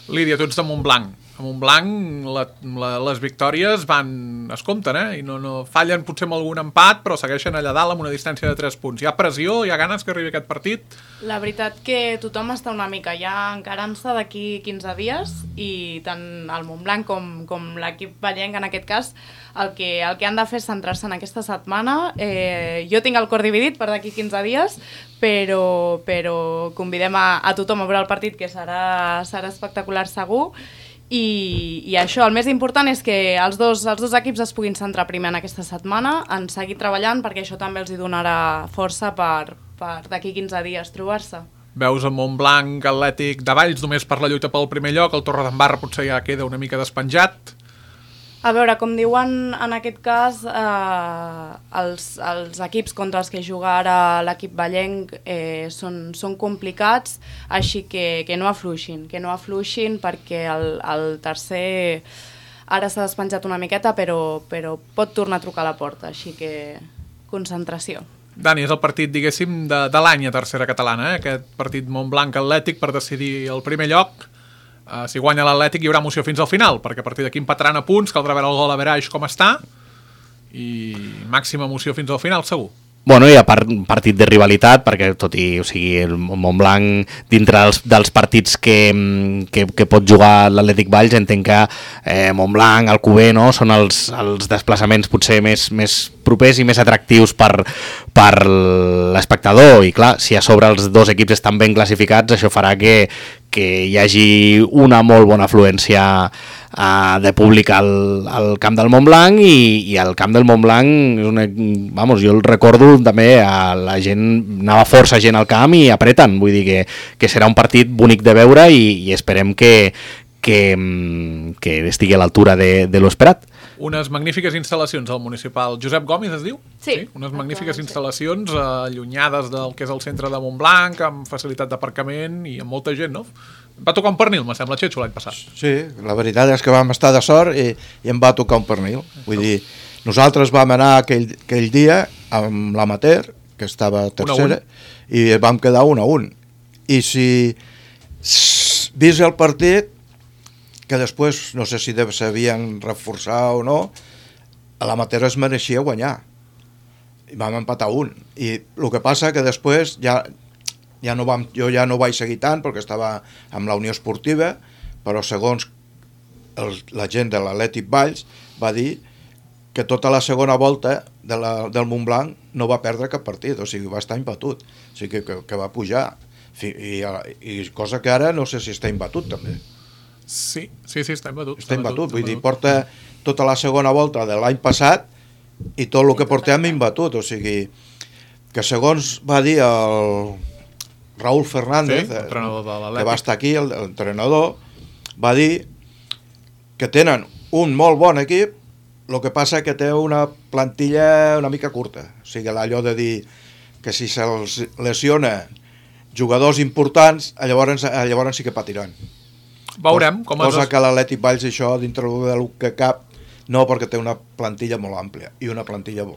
Speaker 2: Lídia, tu ets de Montblanc. A Montblanc la, la, les victòries van, es compten, eh? I no, no fallen potser amb algun empat, però segueixen allà dalt amb una distància de tres punts. Hi ha pressió, hi ha ganes que arribi aquest partit?
Speaker 4: La veritat que tothom està una mica ja encarant-se d'aquí quinze dies i tant el Montblanc com, com l'equip vallenc en aquest cas el que, el que han de fer és centrar-se en aquesta setmana. Eh, jo tinc el cor dividit per d'aquí quinze dies, però, però convidem a, a tothom a veure el partit, que serà, serà espectacular segur. I, i això, el més important és que els dos, els dos equips es puguin centrar primer en aquesta setmana, en seguir treballant, perquè això també els hi donarà força per, per d'aquí quinze dies trobar-se.
Speaker 2: Veus el Montblanc Atlètic de Valls només per la lluita pel primer lloc, el Torredembarra potser ja queda una mica despenjat?
Speaker 4: A veure, com diuen en aquest cas, eh, els, els equips contra els que juga ara l'equip vallenc eh, són, són complicats, així que, que no afluixin, que no afluixin perquè el, el tercer ara s'ha despenjat una miqueta, però, però pot tornar a trucar a la porta, així que concentració.
Speaker 2: Dani, és el partit, diguéssim, de, de l'any a tercera catalana, eh? Aquest partit Montblanc Atlètic per decidir el primer lloc. Uh, si guanya l'Atlètic hi haurà emoció fins al final, perquè a partir d'aquí empataran a punts, caldrà veure el gol a Veraix com està, i màxima emoció fins al final, segur.
Speaker 5: Bueno, hi ha part, un partit de rivalitat, perquè tot i, o sigui, el Montblanc, dintre dels, dels partits que, que, que pot jugar l'Atlètic Valls, entenc que eh, Montblanc, Alcover, no?, són els, els desplaçaments potser més, més propers i més atractius per, per l'espectador, i clar, si a sobre els dos equips estan ben classificats, això farà que, que hi hagi una molt bona afluència uh, de públic al, al camp del Montblanc, i, i al camp del Montblanc és una, vamos, jo el recordo també, a la gent, anava força gent al camp i apreten, vull dir que, que serà un partit bonic de veure, i, i esperem que, que, que estigui a l'altura de, de l'esperat.
Speaker 2: Unes magnífiques instal·lacions al municipal. Josep Gomis es diu?
Speaker 4: Sí.
Speaker 2: sí unes magnífiques instal·lacions eh, allunyades del que és el centre de Montblanc, amb facilitat d'aparcament i amb molta gent, no? Va tocar un pernil, me sembla, Xetxo, l'any passat.
Speaker 3: Sí, la veritat és que vam estar de sort i, i em va tocar un pernil. Vull dir, nosaltres vam anar aquell, aquell dia amb l'amateur, que estava tercera, i vam quedar un a un. I si vist el partit, que després no sé si s'havien reforçat o no, a l'amateur es mereixia guanyar. I vam empatar un. I el que passa que després ja, ja no vam, jo ja no vaig seguir tant perquè estava amb la Unió Esportiva, però segons el, la gent de l'Atlètic Valls va dir que tota la segona volta de la, del Montblanc no va perdre cap partit, o sigui, va estar imbatut, o sigui, que, que va pujar. I, i cosa que ara no sé si està imbatut també.
Speaker 2: Sí, sí, sí, està imbatut.
Speaker 3: Està imbatut, vull dir, porta tota la segona volta de l'any passat i tot el que portem imbatut, o sigui, que segons va dir el Raúl Fernández,
Speaker 2: sí,
Speaker 3: que va estar aquí, l'entrenador, va dir que tenen un molt bon equip, el que passa que té una plantilla una mica curta, o sigui, allò de dir que si se'ls lesiona jugadors importants, llavors, llavors sí que patiran.
Speaker 2: Veurem com
Speaker 3: cosa
Speaker 2: es...
Speaker 3: que l'Atlètic Valls això dintre del que cap, no, perquè té una plantilla molt àmplia i una plantilla,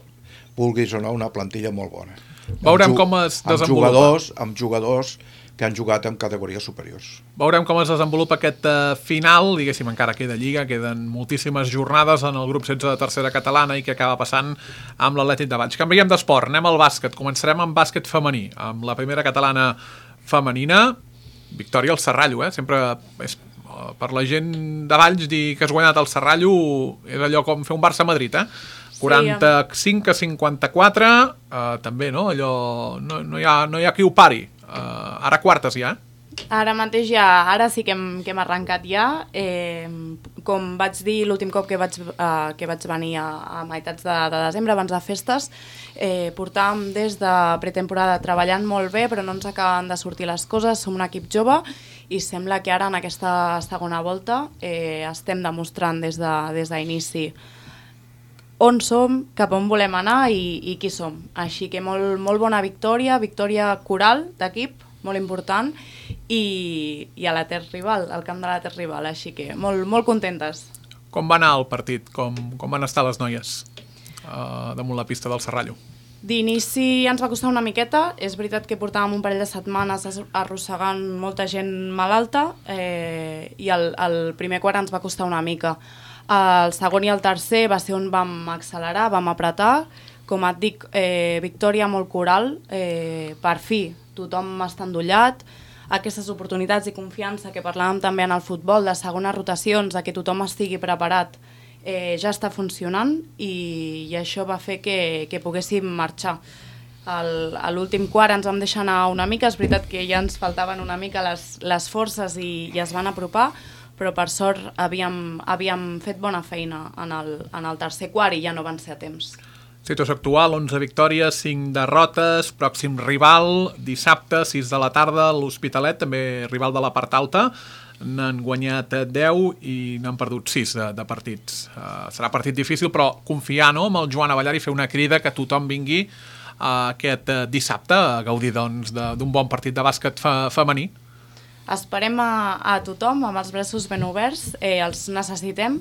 Speaker 3: vulguis o no, una plantilla molt bona.
Speaker 2: Veurem
Speaker 3: amb,
Speaker 2: com es
Speaker 3: amb
Speaker 2: desenvolupa.
Speaker 3: Jugadors, amb jugadors que han jugat en categories superiors.
Speaker 2: Veurem com es desenvolupa aquest uh, final, diguéssim, encara queda Lliga, queden moltíssimes jornades en el grup setze de tercera catalana i què acaba passant amb l'Atlètic de Valls. Canviem d'esport, anem al bàsquet, començarem amb bàsquet femení, amb la primera catalana femenina, victòria al Serrallo, eh? Sempre és, uh, per la gent de Valls dir que has guanyat el Serrallo és allò com fer un Barça-Madrid, eh? quaranta-cinc a cinquanta-quatre, uh, també, no? Allò, no, no, hi ha, no hi ha qui ho pari. Uh, ara quartes ja, eh?
Speaker 4: Ara mateix ja, ara sí que hem, que hem arrencat ja. Eh, com vaig dir l'últim cop que vaig, uh, que vaig venir a, a meitats de, de desembre, abans de festes, eh, portàvem des de pretemporada treballant molt bé, però no ens acaben de sortir les coses, som un equip jove i sembla que ara en aquesta segona volta eh, estem demostrant des de, des d'inici on som, cap on volem anar i, i qui som. Així que molt, molt bona victòria, victòria coral d'equip, molt important, i, i a la terra rival, al camp de la terra rival, així que molt, molt contentes.
Speaker 2: Com va anar el partit? Com, com van estar les noies uh, damunt la pista del Serrallo?
Speaker 4: D'inici ens va costar una miqueta, és veritat que portàvem un parell de setmanes arrossegant molta gent malalta eh, i el, el primer quart ens va costar una mica. El segon i el tercer va ser on vam accelerar, vam apretar, com et dic, eh, victòria molt coral, eh, per fi tothom està endollat, aquestes oportunitats i confiança que parlàvem també en el futbol, de segones rotacions, de que tothom estigui preparat, eh, ja està funcionant i, i això va fer que, que poguéssim marxar. El, a l'últim quart ens vam deixar anar una mica, és veritat que ja ens faltaven una mica les, les forces i, i es van apropar, però per sort havíem, havíem fet bona feina en el, en el tercer quart i ja no van ser a temps.
Speaker 2: Situació actual, onze victòries, cinc derrotes, pròxim rival, dissabte, sis de la tarda, l'Hospitalet, també rival de la part alta, n'han guanyat deu i n'han perdut sis de, de partits. Uh, serà partit difícil, però confiar, no?, amb el Joan Avellar i fer una crida que tothom vingui uh, aquest uh, dissabte a gaudir doncs, d'un bon partit de bàsquet fe, femení.
Speaker 4: Esperem a, a tothom amb els braços ben oberts, eh, els necessitem.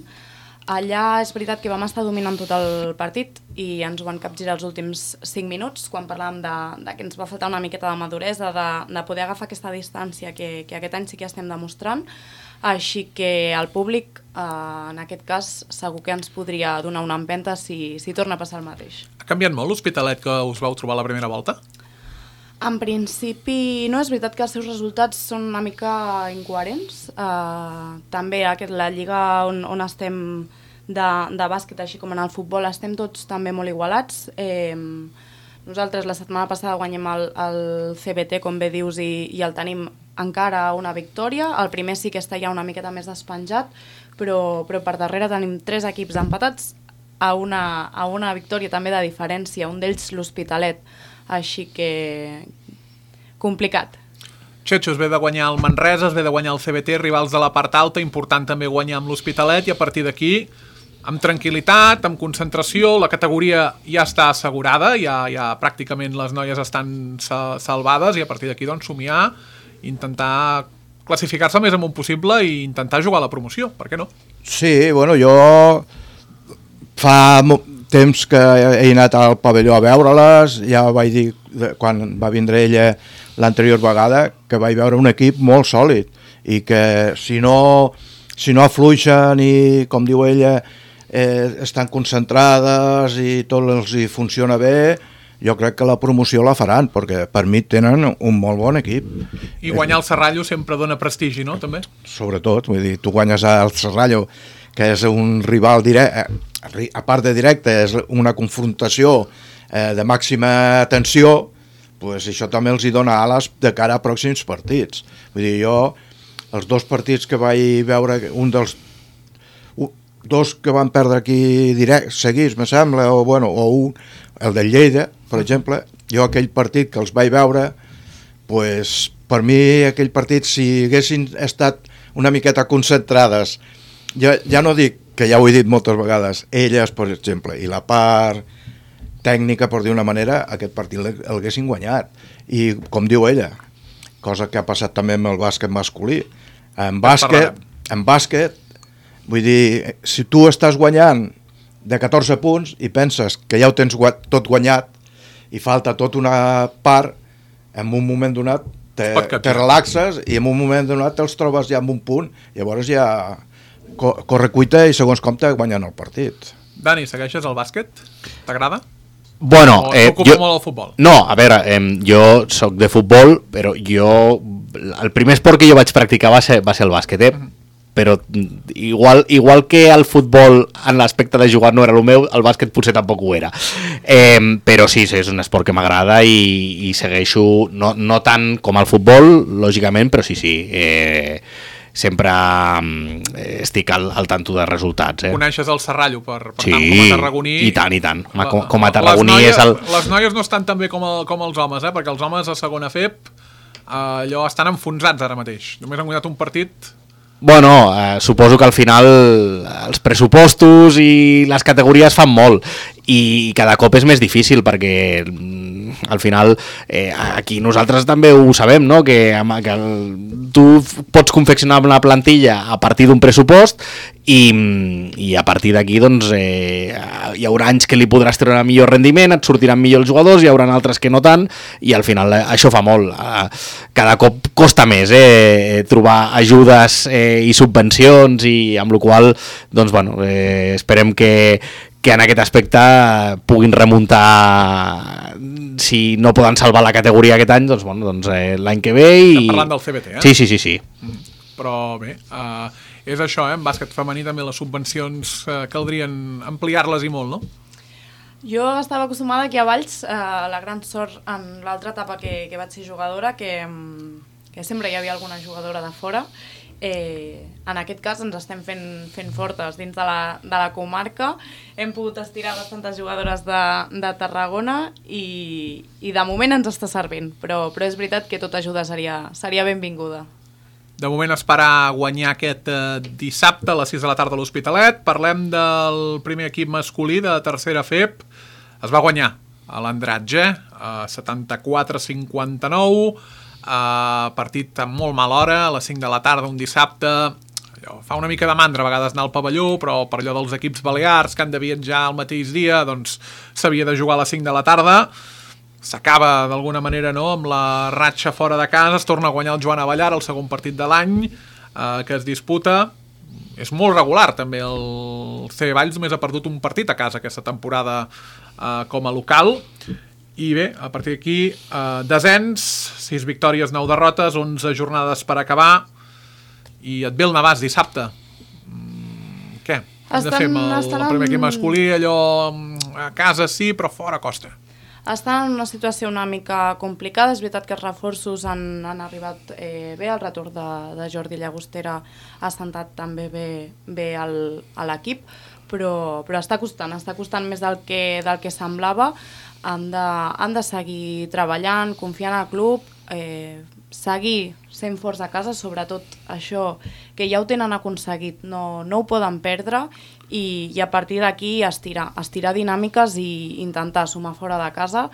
Speaker 4: Allà és veritat que vam estar dominant tot el partit i ens ho van capgirar els últims cinc minuts, quan parlàvem de, de que ens va faltar una miqueta de maduresa, de, de poder agafar aquesta distància que, que aquest any sí que estem demostrant. Així que el públic, eh, en aquest cas, segur que ens podria donar una empenta si, si torna a passar el mateix.
Speaker 2: Ha canviat molt l'Hospitalet que us vau trobar la primera volta?
Speaker 4: En principi, no, és veritat que els seus resultats són una mica incoherents. Uh, també aquest, la lliga on, on estem de, de bàsquet, així com en el futbol, estem tots també molt igualats. Eh, nosaltres la setmana passada guanyem el, el C B T, com bé dius, i, i el tenim encara una victòria. El primer sí que està ja una miqueta més despenjat, però, però per darrere tenim tres equips empatats a una, a una victòria també de diferència, un d'ells l'Hospitalet. Així que complicat.
Speaker 2: Xetxo, es ve de guanyar el Manresa, es ve de guanyar el C B T, rivals de la part alta, important també guanyar amb l'Hospitalet i a partir d'aquí, amb tranquil·litat, amb concentració, la categoria ja està assegurada, ja, ja pràcticament les noies estan salvades i a partir d'aquí doncs somiar, intentar classificar-se el més amunt possible i intentar jugar a la promoció, per què no?
Speaker 3: Sí, bueno, jo fa temps que he anat al pavelló a veure-les, ja vaig dir, quan va vindre ella l'anterior vegada, que vaig veure un equip molt sòlid i que si no, si no afluixen i, com diu ella, eh, estan concentrades i tot els hi funciona bé, jo crec que la promoció la faran, perquè per mi tenen un molt bon equip.
Speaker 2: I guanyar el Serrallo sempre dona prestigi, no?, també?
Speaker 3: Sobretot, vull dir, tu guanyes el Serrallo, que és un rival directe, a part de directe, és una confrontació eh, de màxima tensió, pues això també els hi dona ales de cara a pròxims partits. Vull dir, jo, els dos partits que vaig veure, un dels un, dos que van perdre aquí direct, seguits, me sembla, o, bueno, o un, el del Lleida, per exemple, jo aquell partit que els vaig veure, pues, per mi aquell partit, si haguessin estat una miqueta concentrades, ja, ja no dic, que ja ho he dit moltes vegades, elles, per exemple, i la part tècnica, per dir una manera, aquest partit l'haguessin guanyat. I, com diu ella, cosa que ha passat també amb el bàsquet masculí, en bàsquet, en bàsquet, vull dir, si tu estàs guanyant de catorze punts i penses que ja ho tens tot guanyat i falta tota una part, en un moment donat te, te relaxes i en un moment donat te'ls trobes ja amb un punt, llavors ja corre cuita i segons com te guanyen el partit.
Speaker 2: Dani, segueixes el bàsquet? T'agrada?
Speaker 5: Bueno,
Speaker 2: o
Speaker 5: eh,
Speaker 2: t'ocupa
Speaker 5: jo,
Speaker 2: molt el futbol?
Speaker 5: No, a veure, eh, jo soc de futbol, però jo... El primer esport que jo vaig practicar va ser, va ser el bàsquet, eh? Mm-hmm. Però igual, igual que el futbol en l'aspecte de jugar no era el meu, el bàsquet potser tampoc ho era. Eh, però sí, sí, és un esport que m'agrada i, i segueixo, no, no tant com el futbol, lògicament, però sí, sí, eh, sempre eh, estic al, al tanto de resultats. Eh.
Speaker 2: Coneixes el Serrallo, per, per
Speaker 5: sí,
Speaker 2: tant, com a tarragoní...
Speaker 5: i tant, i tant.
Speaker 2: La,
Speaker 5: com, com a tarragoní
Speaker 2: noies,
Speaker 5: és el...
Speaker 2: Les noies no estan tan bé com, el, com els homes, eh? Perquè els homes a segona F E P eh, allò estan enfonsats ara mateix. Només han guanyat un partit...
Speaker 5: Bueno, eh, suposo que al final els pressupostos i les categories fan molt i cada cop és més difícil perquè al final eh, aquí nosaltres també ho sabem, no? que, que el, tu pots confeccionar una plantilla a partir d'un pressupost i, i a partir d'aquí doncs, eh, hi haurà anys que li podràs treure millor rendiment, et sortiran millor els jugadors, hi haurà altres que no tant i al final eh, això fa molt. Eh, cada cop costa més eh, trobar ajudes eh, i subvencions i amb la qual doncs, bueno, eh, esperem que, que en aquest aspecte puguin remuntar, si no poden salvar la categoria aquest any, doncs, bueno, doncs eh, l'any que ve i...
Speaker 2: Estem parlant del C B T, eh?
Speaker 5: Sí, sí, sí, sí.
Speaker 2: Mm. Però bé, uh, és això, eh? En bàsquet femení també les subvencions uh, caldrien ampliar-les i molt, no?
Speaker 4: Jo estava acostumada aquí a Valls, eh, la gran sort en l'altra etapa que, que vaig ser jugadora, que, que sempre hi havia alguna jugadora de fora. Eh, en aquest cas ens estem fent, fent fortes dins de la, de la comarca. Hem pogut estirar bastantes jugadores de, de Tarragona i, i de moment ens està servint, però, però és veritat que tota ajuda seria, seria benvinguda.
Speaker 2: De moment esperar guanyar aquest eh, dissabte a les sis de la tarda a l'Hospitalet. Parlem del primer equip masculí de tercera F E P. Es va guanyar a l'Andratge, eh, setanta-quatre a cinquanta-nou, eh, partit amb molt mala hora, a les cinc de la tarda un dissabte. Allò, fa una mica de mandra a vegades anar al pavelló, però per allò dels equips balears que han de viatjar el mateix dia, doncs s'havia de jugar a les cinc de la tarda. S'acaba d'alguna manera, no?, amb la ratxa fora de casa, es torna a guanyar el Joan Avellar, el segon partit de l'any eh, que es disputa. És molt regular també, el C Valls només ha perdut un partit a casa aquesta temporada eh, com a local. I bé, a partir d'aquí eh, descens, sis victòries, nou derrotes, onze jornades per acabar i et ve el Navàs dissabte. Mm, què? Hem de fer amb el, el primer equip masculí, allò a casa sí, però fora costa.
Speaker 4: Estan en una situació una mica complicada. És veritat que els reforços han, han arribat eh, bé, el retorn de, de Jordi Llagostera ha sentat també bé, bé al, a l'equip, però, però està costant, està costant més del que, del que semblava. Han de, han de seguir treballant, confiant al club, eh, seguir sent forts a casa, sobretot això que ja ho tenen aconseguit, no, no ho poden perdre i, i a partir d'aquí estirar, estirar dinàmiques i intentar sumar fora de casa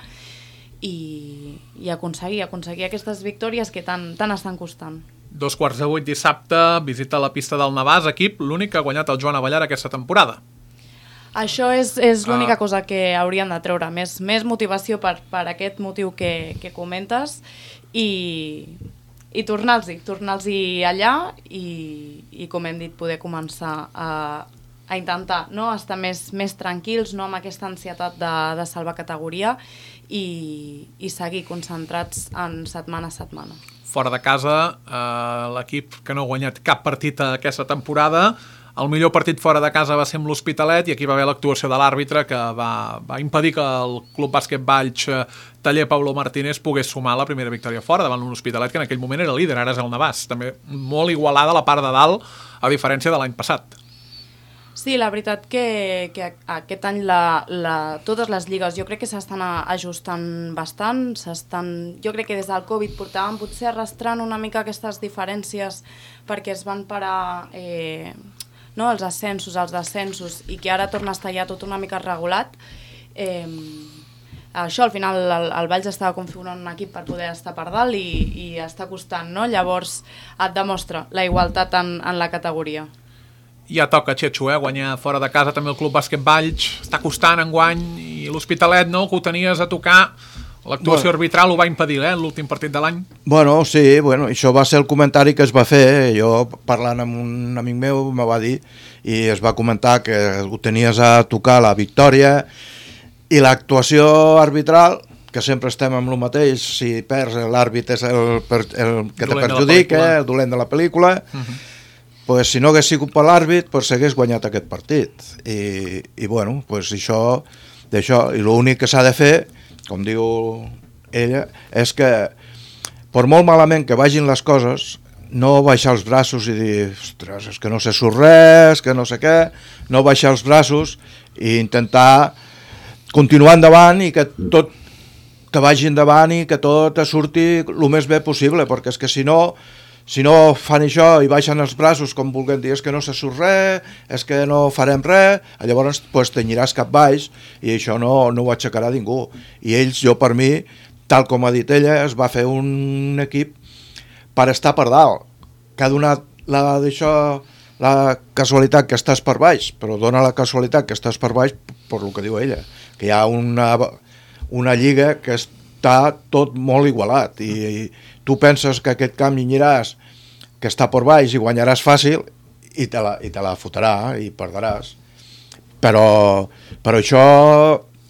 Speaker 4: i, i aconseguir, aconseguir aquestes victòries que tant, tant estan costant.
Speaker 2: Dos quarts de vuit dissabte, visita la pista del Navàs, equip l'únic que ha guanyat el Joan Avellar aquesta temporada.
Speaker 4: Això és, és l'única
Speaker 2: ah.
Speaker 4: cosa que haurien de treure, més, més motivació per, per aquest motiu que, que comentes i, i tornar-los-hi, tornar-los-hi allà i, i, com hem dit, poder començar a, a intentar, no?, estar més, més tranquils, no amb aquesta ansietat de, de salvar categoria i, i seguir concentrats en setmana a setmana.
Speaker 2: Fora de casa, eh, l'equip que no ha guanyat cap partit aquesta temporada. El millor partit fora de casa va ser amb l'Hospitalet i aquí va haver l'actuació de l'àrbitre que va, va impedir que el Club Bàsquet Valls Taller Pablo Martínez pogués sumar la primera victòria fora davant l'Hospitalet, que en aquell moment era líder, ara és el Navàs. També molt igualada la part de dalt, a diferència de l'any passat.
Speaker 4: Sí, la veritat que, que aquest any la, la, totes les lligues jo crec que s'estan ajustant bastant, s'estan, jo crec que des del Covid portaven potser arrastrant una mica aquestes diferències perquè es van parar eh, no, els ascensos, els descensos i que ara torna a estar ja tot una mica regulat. Eh, això, al final el, el Valls estava configurant un equip per poder estar per dalt i, i està costant, no? Llavors et demostra la igualtat en, en la categoria.
Speaker 2: Ja toca, Xetxo, eh? Guanyar fora de casa també el Club Bàsquet Valls, està costant enguany, i l'Hospitalet, no?, que ho tenies a tocar, l'actuació bueno. arbitral ho va impedir, eh?, l'últim partit de l'any.
Speaker 3: Bueno, sí, bueno, això va ser el comentari que es va fer, jo parlant amb un amic meu me va dir, i es va comentar que ho tenies a tocar la victòria, i l'actuació arbitral, que sempre estem amb el mateix, si perds l'àrbit és el, el que te perjudica, el dolent de la pel·lícula, uh-huh. pues, si no hagués sigut per l'àrbit, pues, s'hagués guanyat aquest partit. I, i bueno, pues, això, d'això, i l'únic que s'ha de fer, com diu ella, és que, per molt malament que vagin les coses, no baixar els braços i dir, ostres, és que no sé sur res, que no sé què, no baixar els braços i intentar continuar endavant i que tot que vagi endavant i que tot surti el més bé possible, perquè és que si no, si no fan això i baixen els braços com vulguem dir, és que no se surt res, és que no farem res, llavors pues, tenyiràs cap baix i això no, no ho aixecarà ningú. I ells, jo per mi, tal com ha dit ella, es va fer un equip per estar per dalt, que ha donat la, d'això, la casualitat que estàs per baix, però dona la casualitat que estàs per baix per el que diu ella, que hi ha una, una lliga que està tot molt igualat i, i tu penses que aquest camp aniràs, que està per baix i guanyaràs fàcil i te la, i te la fotrà i perdràs. Però, però això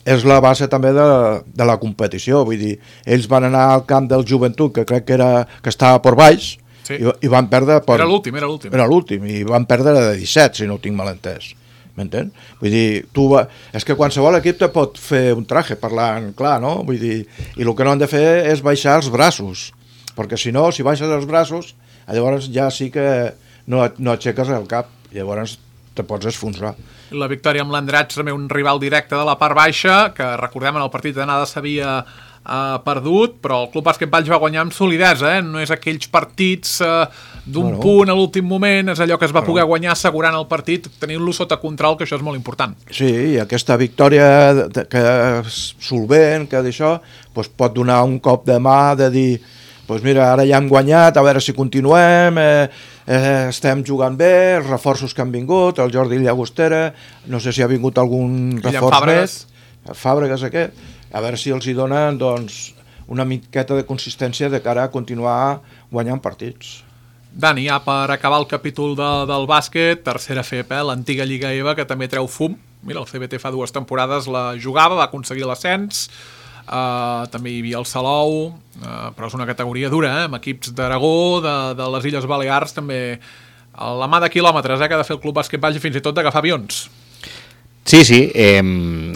Speaker 3: és la base també de, de la competició, vull dir, ells van anar al camp del Joventut, que crec que, era, que estava per baix, sí. i, i van perdre... Per,
Speaker 2: era l'últim, era l'últim.
Speaker 3: Era l'últim, i van perdre de disset, si no ho tinc mal entès. M'entén? Vull dir, tu va... és que qualsevol equip te pot fer un traje parlant clar, no? Vull dir, i el que no han de fer és baixar els braços, perquè si no, si baixes els braços, llavors ja sí que no, no aixeques el cap, llavors te pots esfonsar.
Speaker 2: La victòria amb l'Andratx, també un rival directe de la part baixa, que recordem en el partit d'anada s'havia uh, perdut, però el Club Bàsquet Valls va guanyar amb solidesa, eh? No és aquells partits uh, d'un bueno. punt a l'últim moment, és allò que es va bueno. poder guanyar assegurant el partit, tenint-lo sota control, que això és molt important.
Speaker 3: Sí, i aquesta victòria de, que és solvent, que d'això, doncs pot donar un cop de mà de dir, doncs mira, ara ja hem guanyat, a veure si continuem, eh, eh, estem jugant bé, els reforços que han vingut, el Jordi Llagostera, no sé si ha vingut algun reforç
Speaker 2: Fàbregas.
Speaker 3: més, Fàbregas aquest, a veure si els hi donen doncs, una miqueta de consistència de cara a continuar guanyant partits.
Speaker 2: Dani, ja per acabar el capítol de, del bàsquet, tercera F E P, eh, l'antiga Lliga E V, que també treu fum. Mira, el C B T fa dues temporades la jugava, va aconseguir l'ascens, uh, també hi havia el Salou, uh, però és una categoria dura, eh, amb equips d'Aragó, de, de les Illes Balears, també a la mà de quilòmetres eh, que ha de fer el Club Bàsquet Valls i fins i tot d'agafar avions.
Speaker 5: Sí, sí, eh,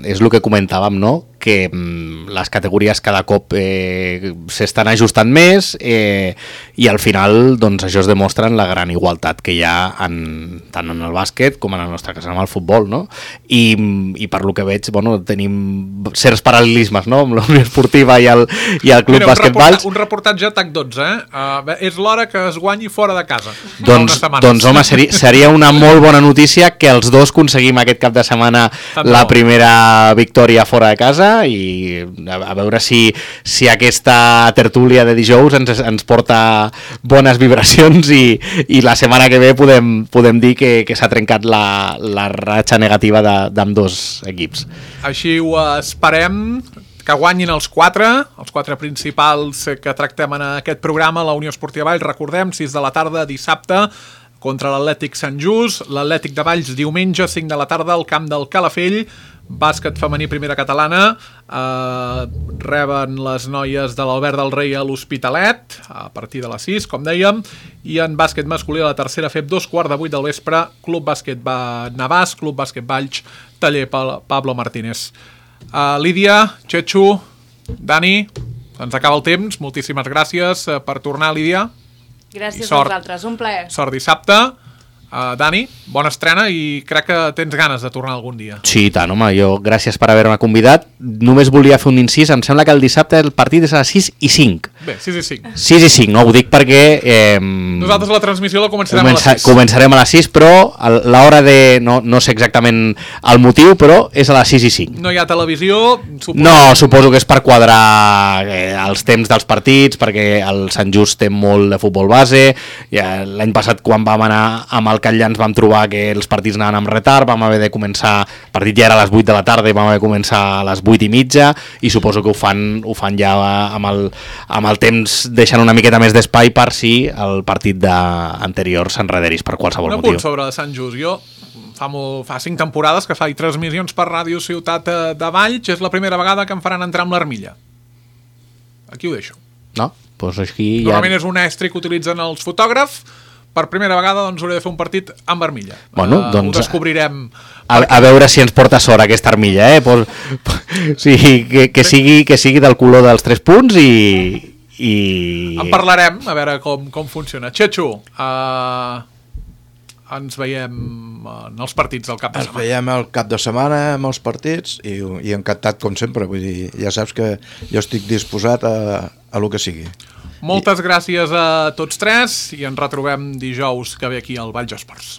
Speaker 5: és el que comentàvem, no?, que mm, les categories cada cop eh, s'estan ajustant més eh, i al final doncs, això es demostra en la gran igualtat que hi ha en, tant en el bàsquet com en el nostre cas en el futbol, no? I, i per lo que veig, bueno, tenim certs paral·lelismes, no?, amb la Unió Esportiva i el, i el Club
Speaker 2: Mira,
Speaker 5: Bàsquet Valls.
Speaker 2: Un reportatge a TAC dotze, eh? Uh, és l'hora que es guanyi fora de casa.
Speaker 5: Doncs, doncs home, seria, seria una molt bona notícia que els dos aconseguim aquest cap de setmana Tant la bo. primera victòria fora de casa i a, a veure si, si aquesta tertúlia de dijous ens, ens porta bones vibracions i, i la setmana que ve podem, podem dir que, que s'ha trencat la, la ratxa negativa d'ambdós equips.
Speaker 2: Així ho esperem, que guanyin els quatre, els quatre principals que tractem en aquest programa, la Unió Esportiva Valls, recordem, sis de la tarda, dissabte, contra l'Atlètic Sant Just, l'Atlètic de Valls diumenge, cinc de la tarda, al camp del Calafell, bàsquet femení primera catalana, eh, reben les noies de l'Albert del Rei a l'Hospitalet, a partir de les sis, com dèiem, i en bàsquet masculí a la tercera F E P, dos quarts de vuit del vespre, Club Bàsquet Navàs, Club Bàsquet Valls, taller Pablo Martínez. Uh, Lídia, Xetxo, Dani, ens acaba el temps, moltíssimes gràcies per tornar, Lídia.
Speaker 4: Gràcies a vosaltres, un plaer.
Speaker 2: Sort dissabte. Uh, Dani, bona estrena i crec que tens ganes de tornar algun dia.
Speaker 5: Sí, i tant, home, jo gràcies per haver-me convidat. Només volia fer un incís, em sembla que el dissabte el partit és a les sis i cinc.
Speaker 2: Bé, sis i cinc.
Speaker 5: sis i cinc, no? Ho dic perquè... Eh,
Speaker 2: Nosaltres la transmissió la començarem
Speaker 5: comença,
Speaker 2: a les sis.
Speaker 5: Començarem a les sis, però l'hora de... No, no sé exactament el motiu, però és a les sis i cinc.
Speaker 2: No hi ha televisió? Suposo...
Speaker 5: No, suposo que és per quadrar eh, els temps dels partits, perquè el Sant Just té molt de futbol base. Ja, l'any passat, quan vam anar amb el Catllà, ens vam trobar que els partits anaven amb retard, vam haver de començar... El partit ja era a les vuit de la tarda i vam haver de començar a les vuit i mitja, i suposo que ho fan, ho fan ja amb el, amb el temps, deixant una miqueta més d'espai per si el partit de anterior s'enrederís per qualsevol
Speaker 2: un
Speaker 5: motiu.
Speaker 2: Un apunt sobre Sant Just. Jo fa, molt, fa cinc temporades que faig transmissions per Ràdio Ciutat de Valls. És la primera vegada que em faran entrar amb l'armilla. Aquí ho deixo.
Speaker 5: No? Pues aquí ja...
Speaker 2: Normalment és un estri que utilitzen els fotògrafs. Per primera vegada doncs, hauré de fer un partit amb armilla.
Speaker 5: Bueno,
Speaker 2: uh,
Speaker 5: doncs...
Speaker 2: Ho descobrirem...
Speaker 5: A, a veure si ens porta sort aquesta armilla, eh? Pues, sí, que, que, sigui, que sigui del color dels tres punts i... i...
Speaker 2: En parlarem, a veure com, com funciona. Xetxo, uh, ens veiem en els partits del cap de
Speaker 3: setmana.
Speaker 2: Ens
Speaker 3: veiem el cap de setmana amb els partits i, i encantat com sempre. Vull dir, ja saps que jo estic disposat a, a lo que sigui.
Speaker 2: Moltes gràcies a tots tres i ens retrobem dijous que ve aquí al Valls Esports.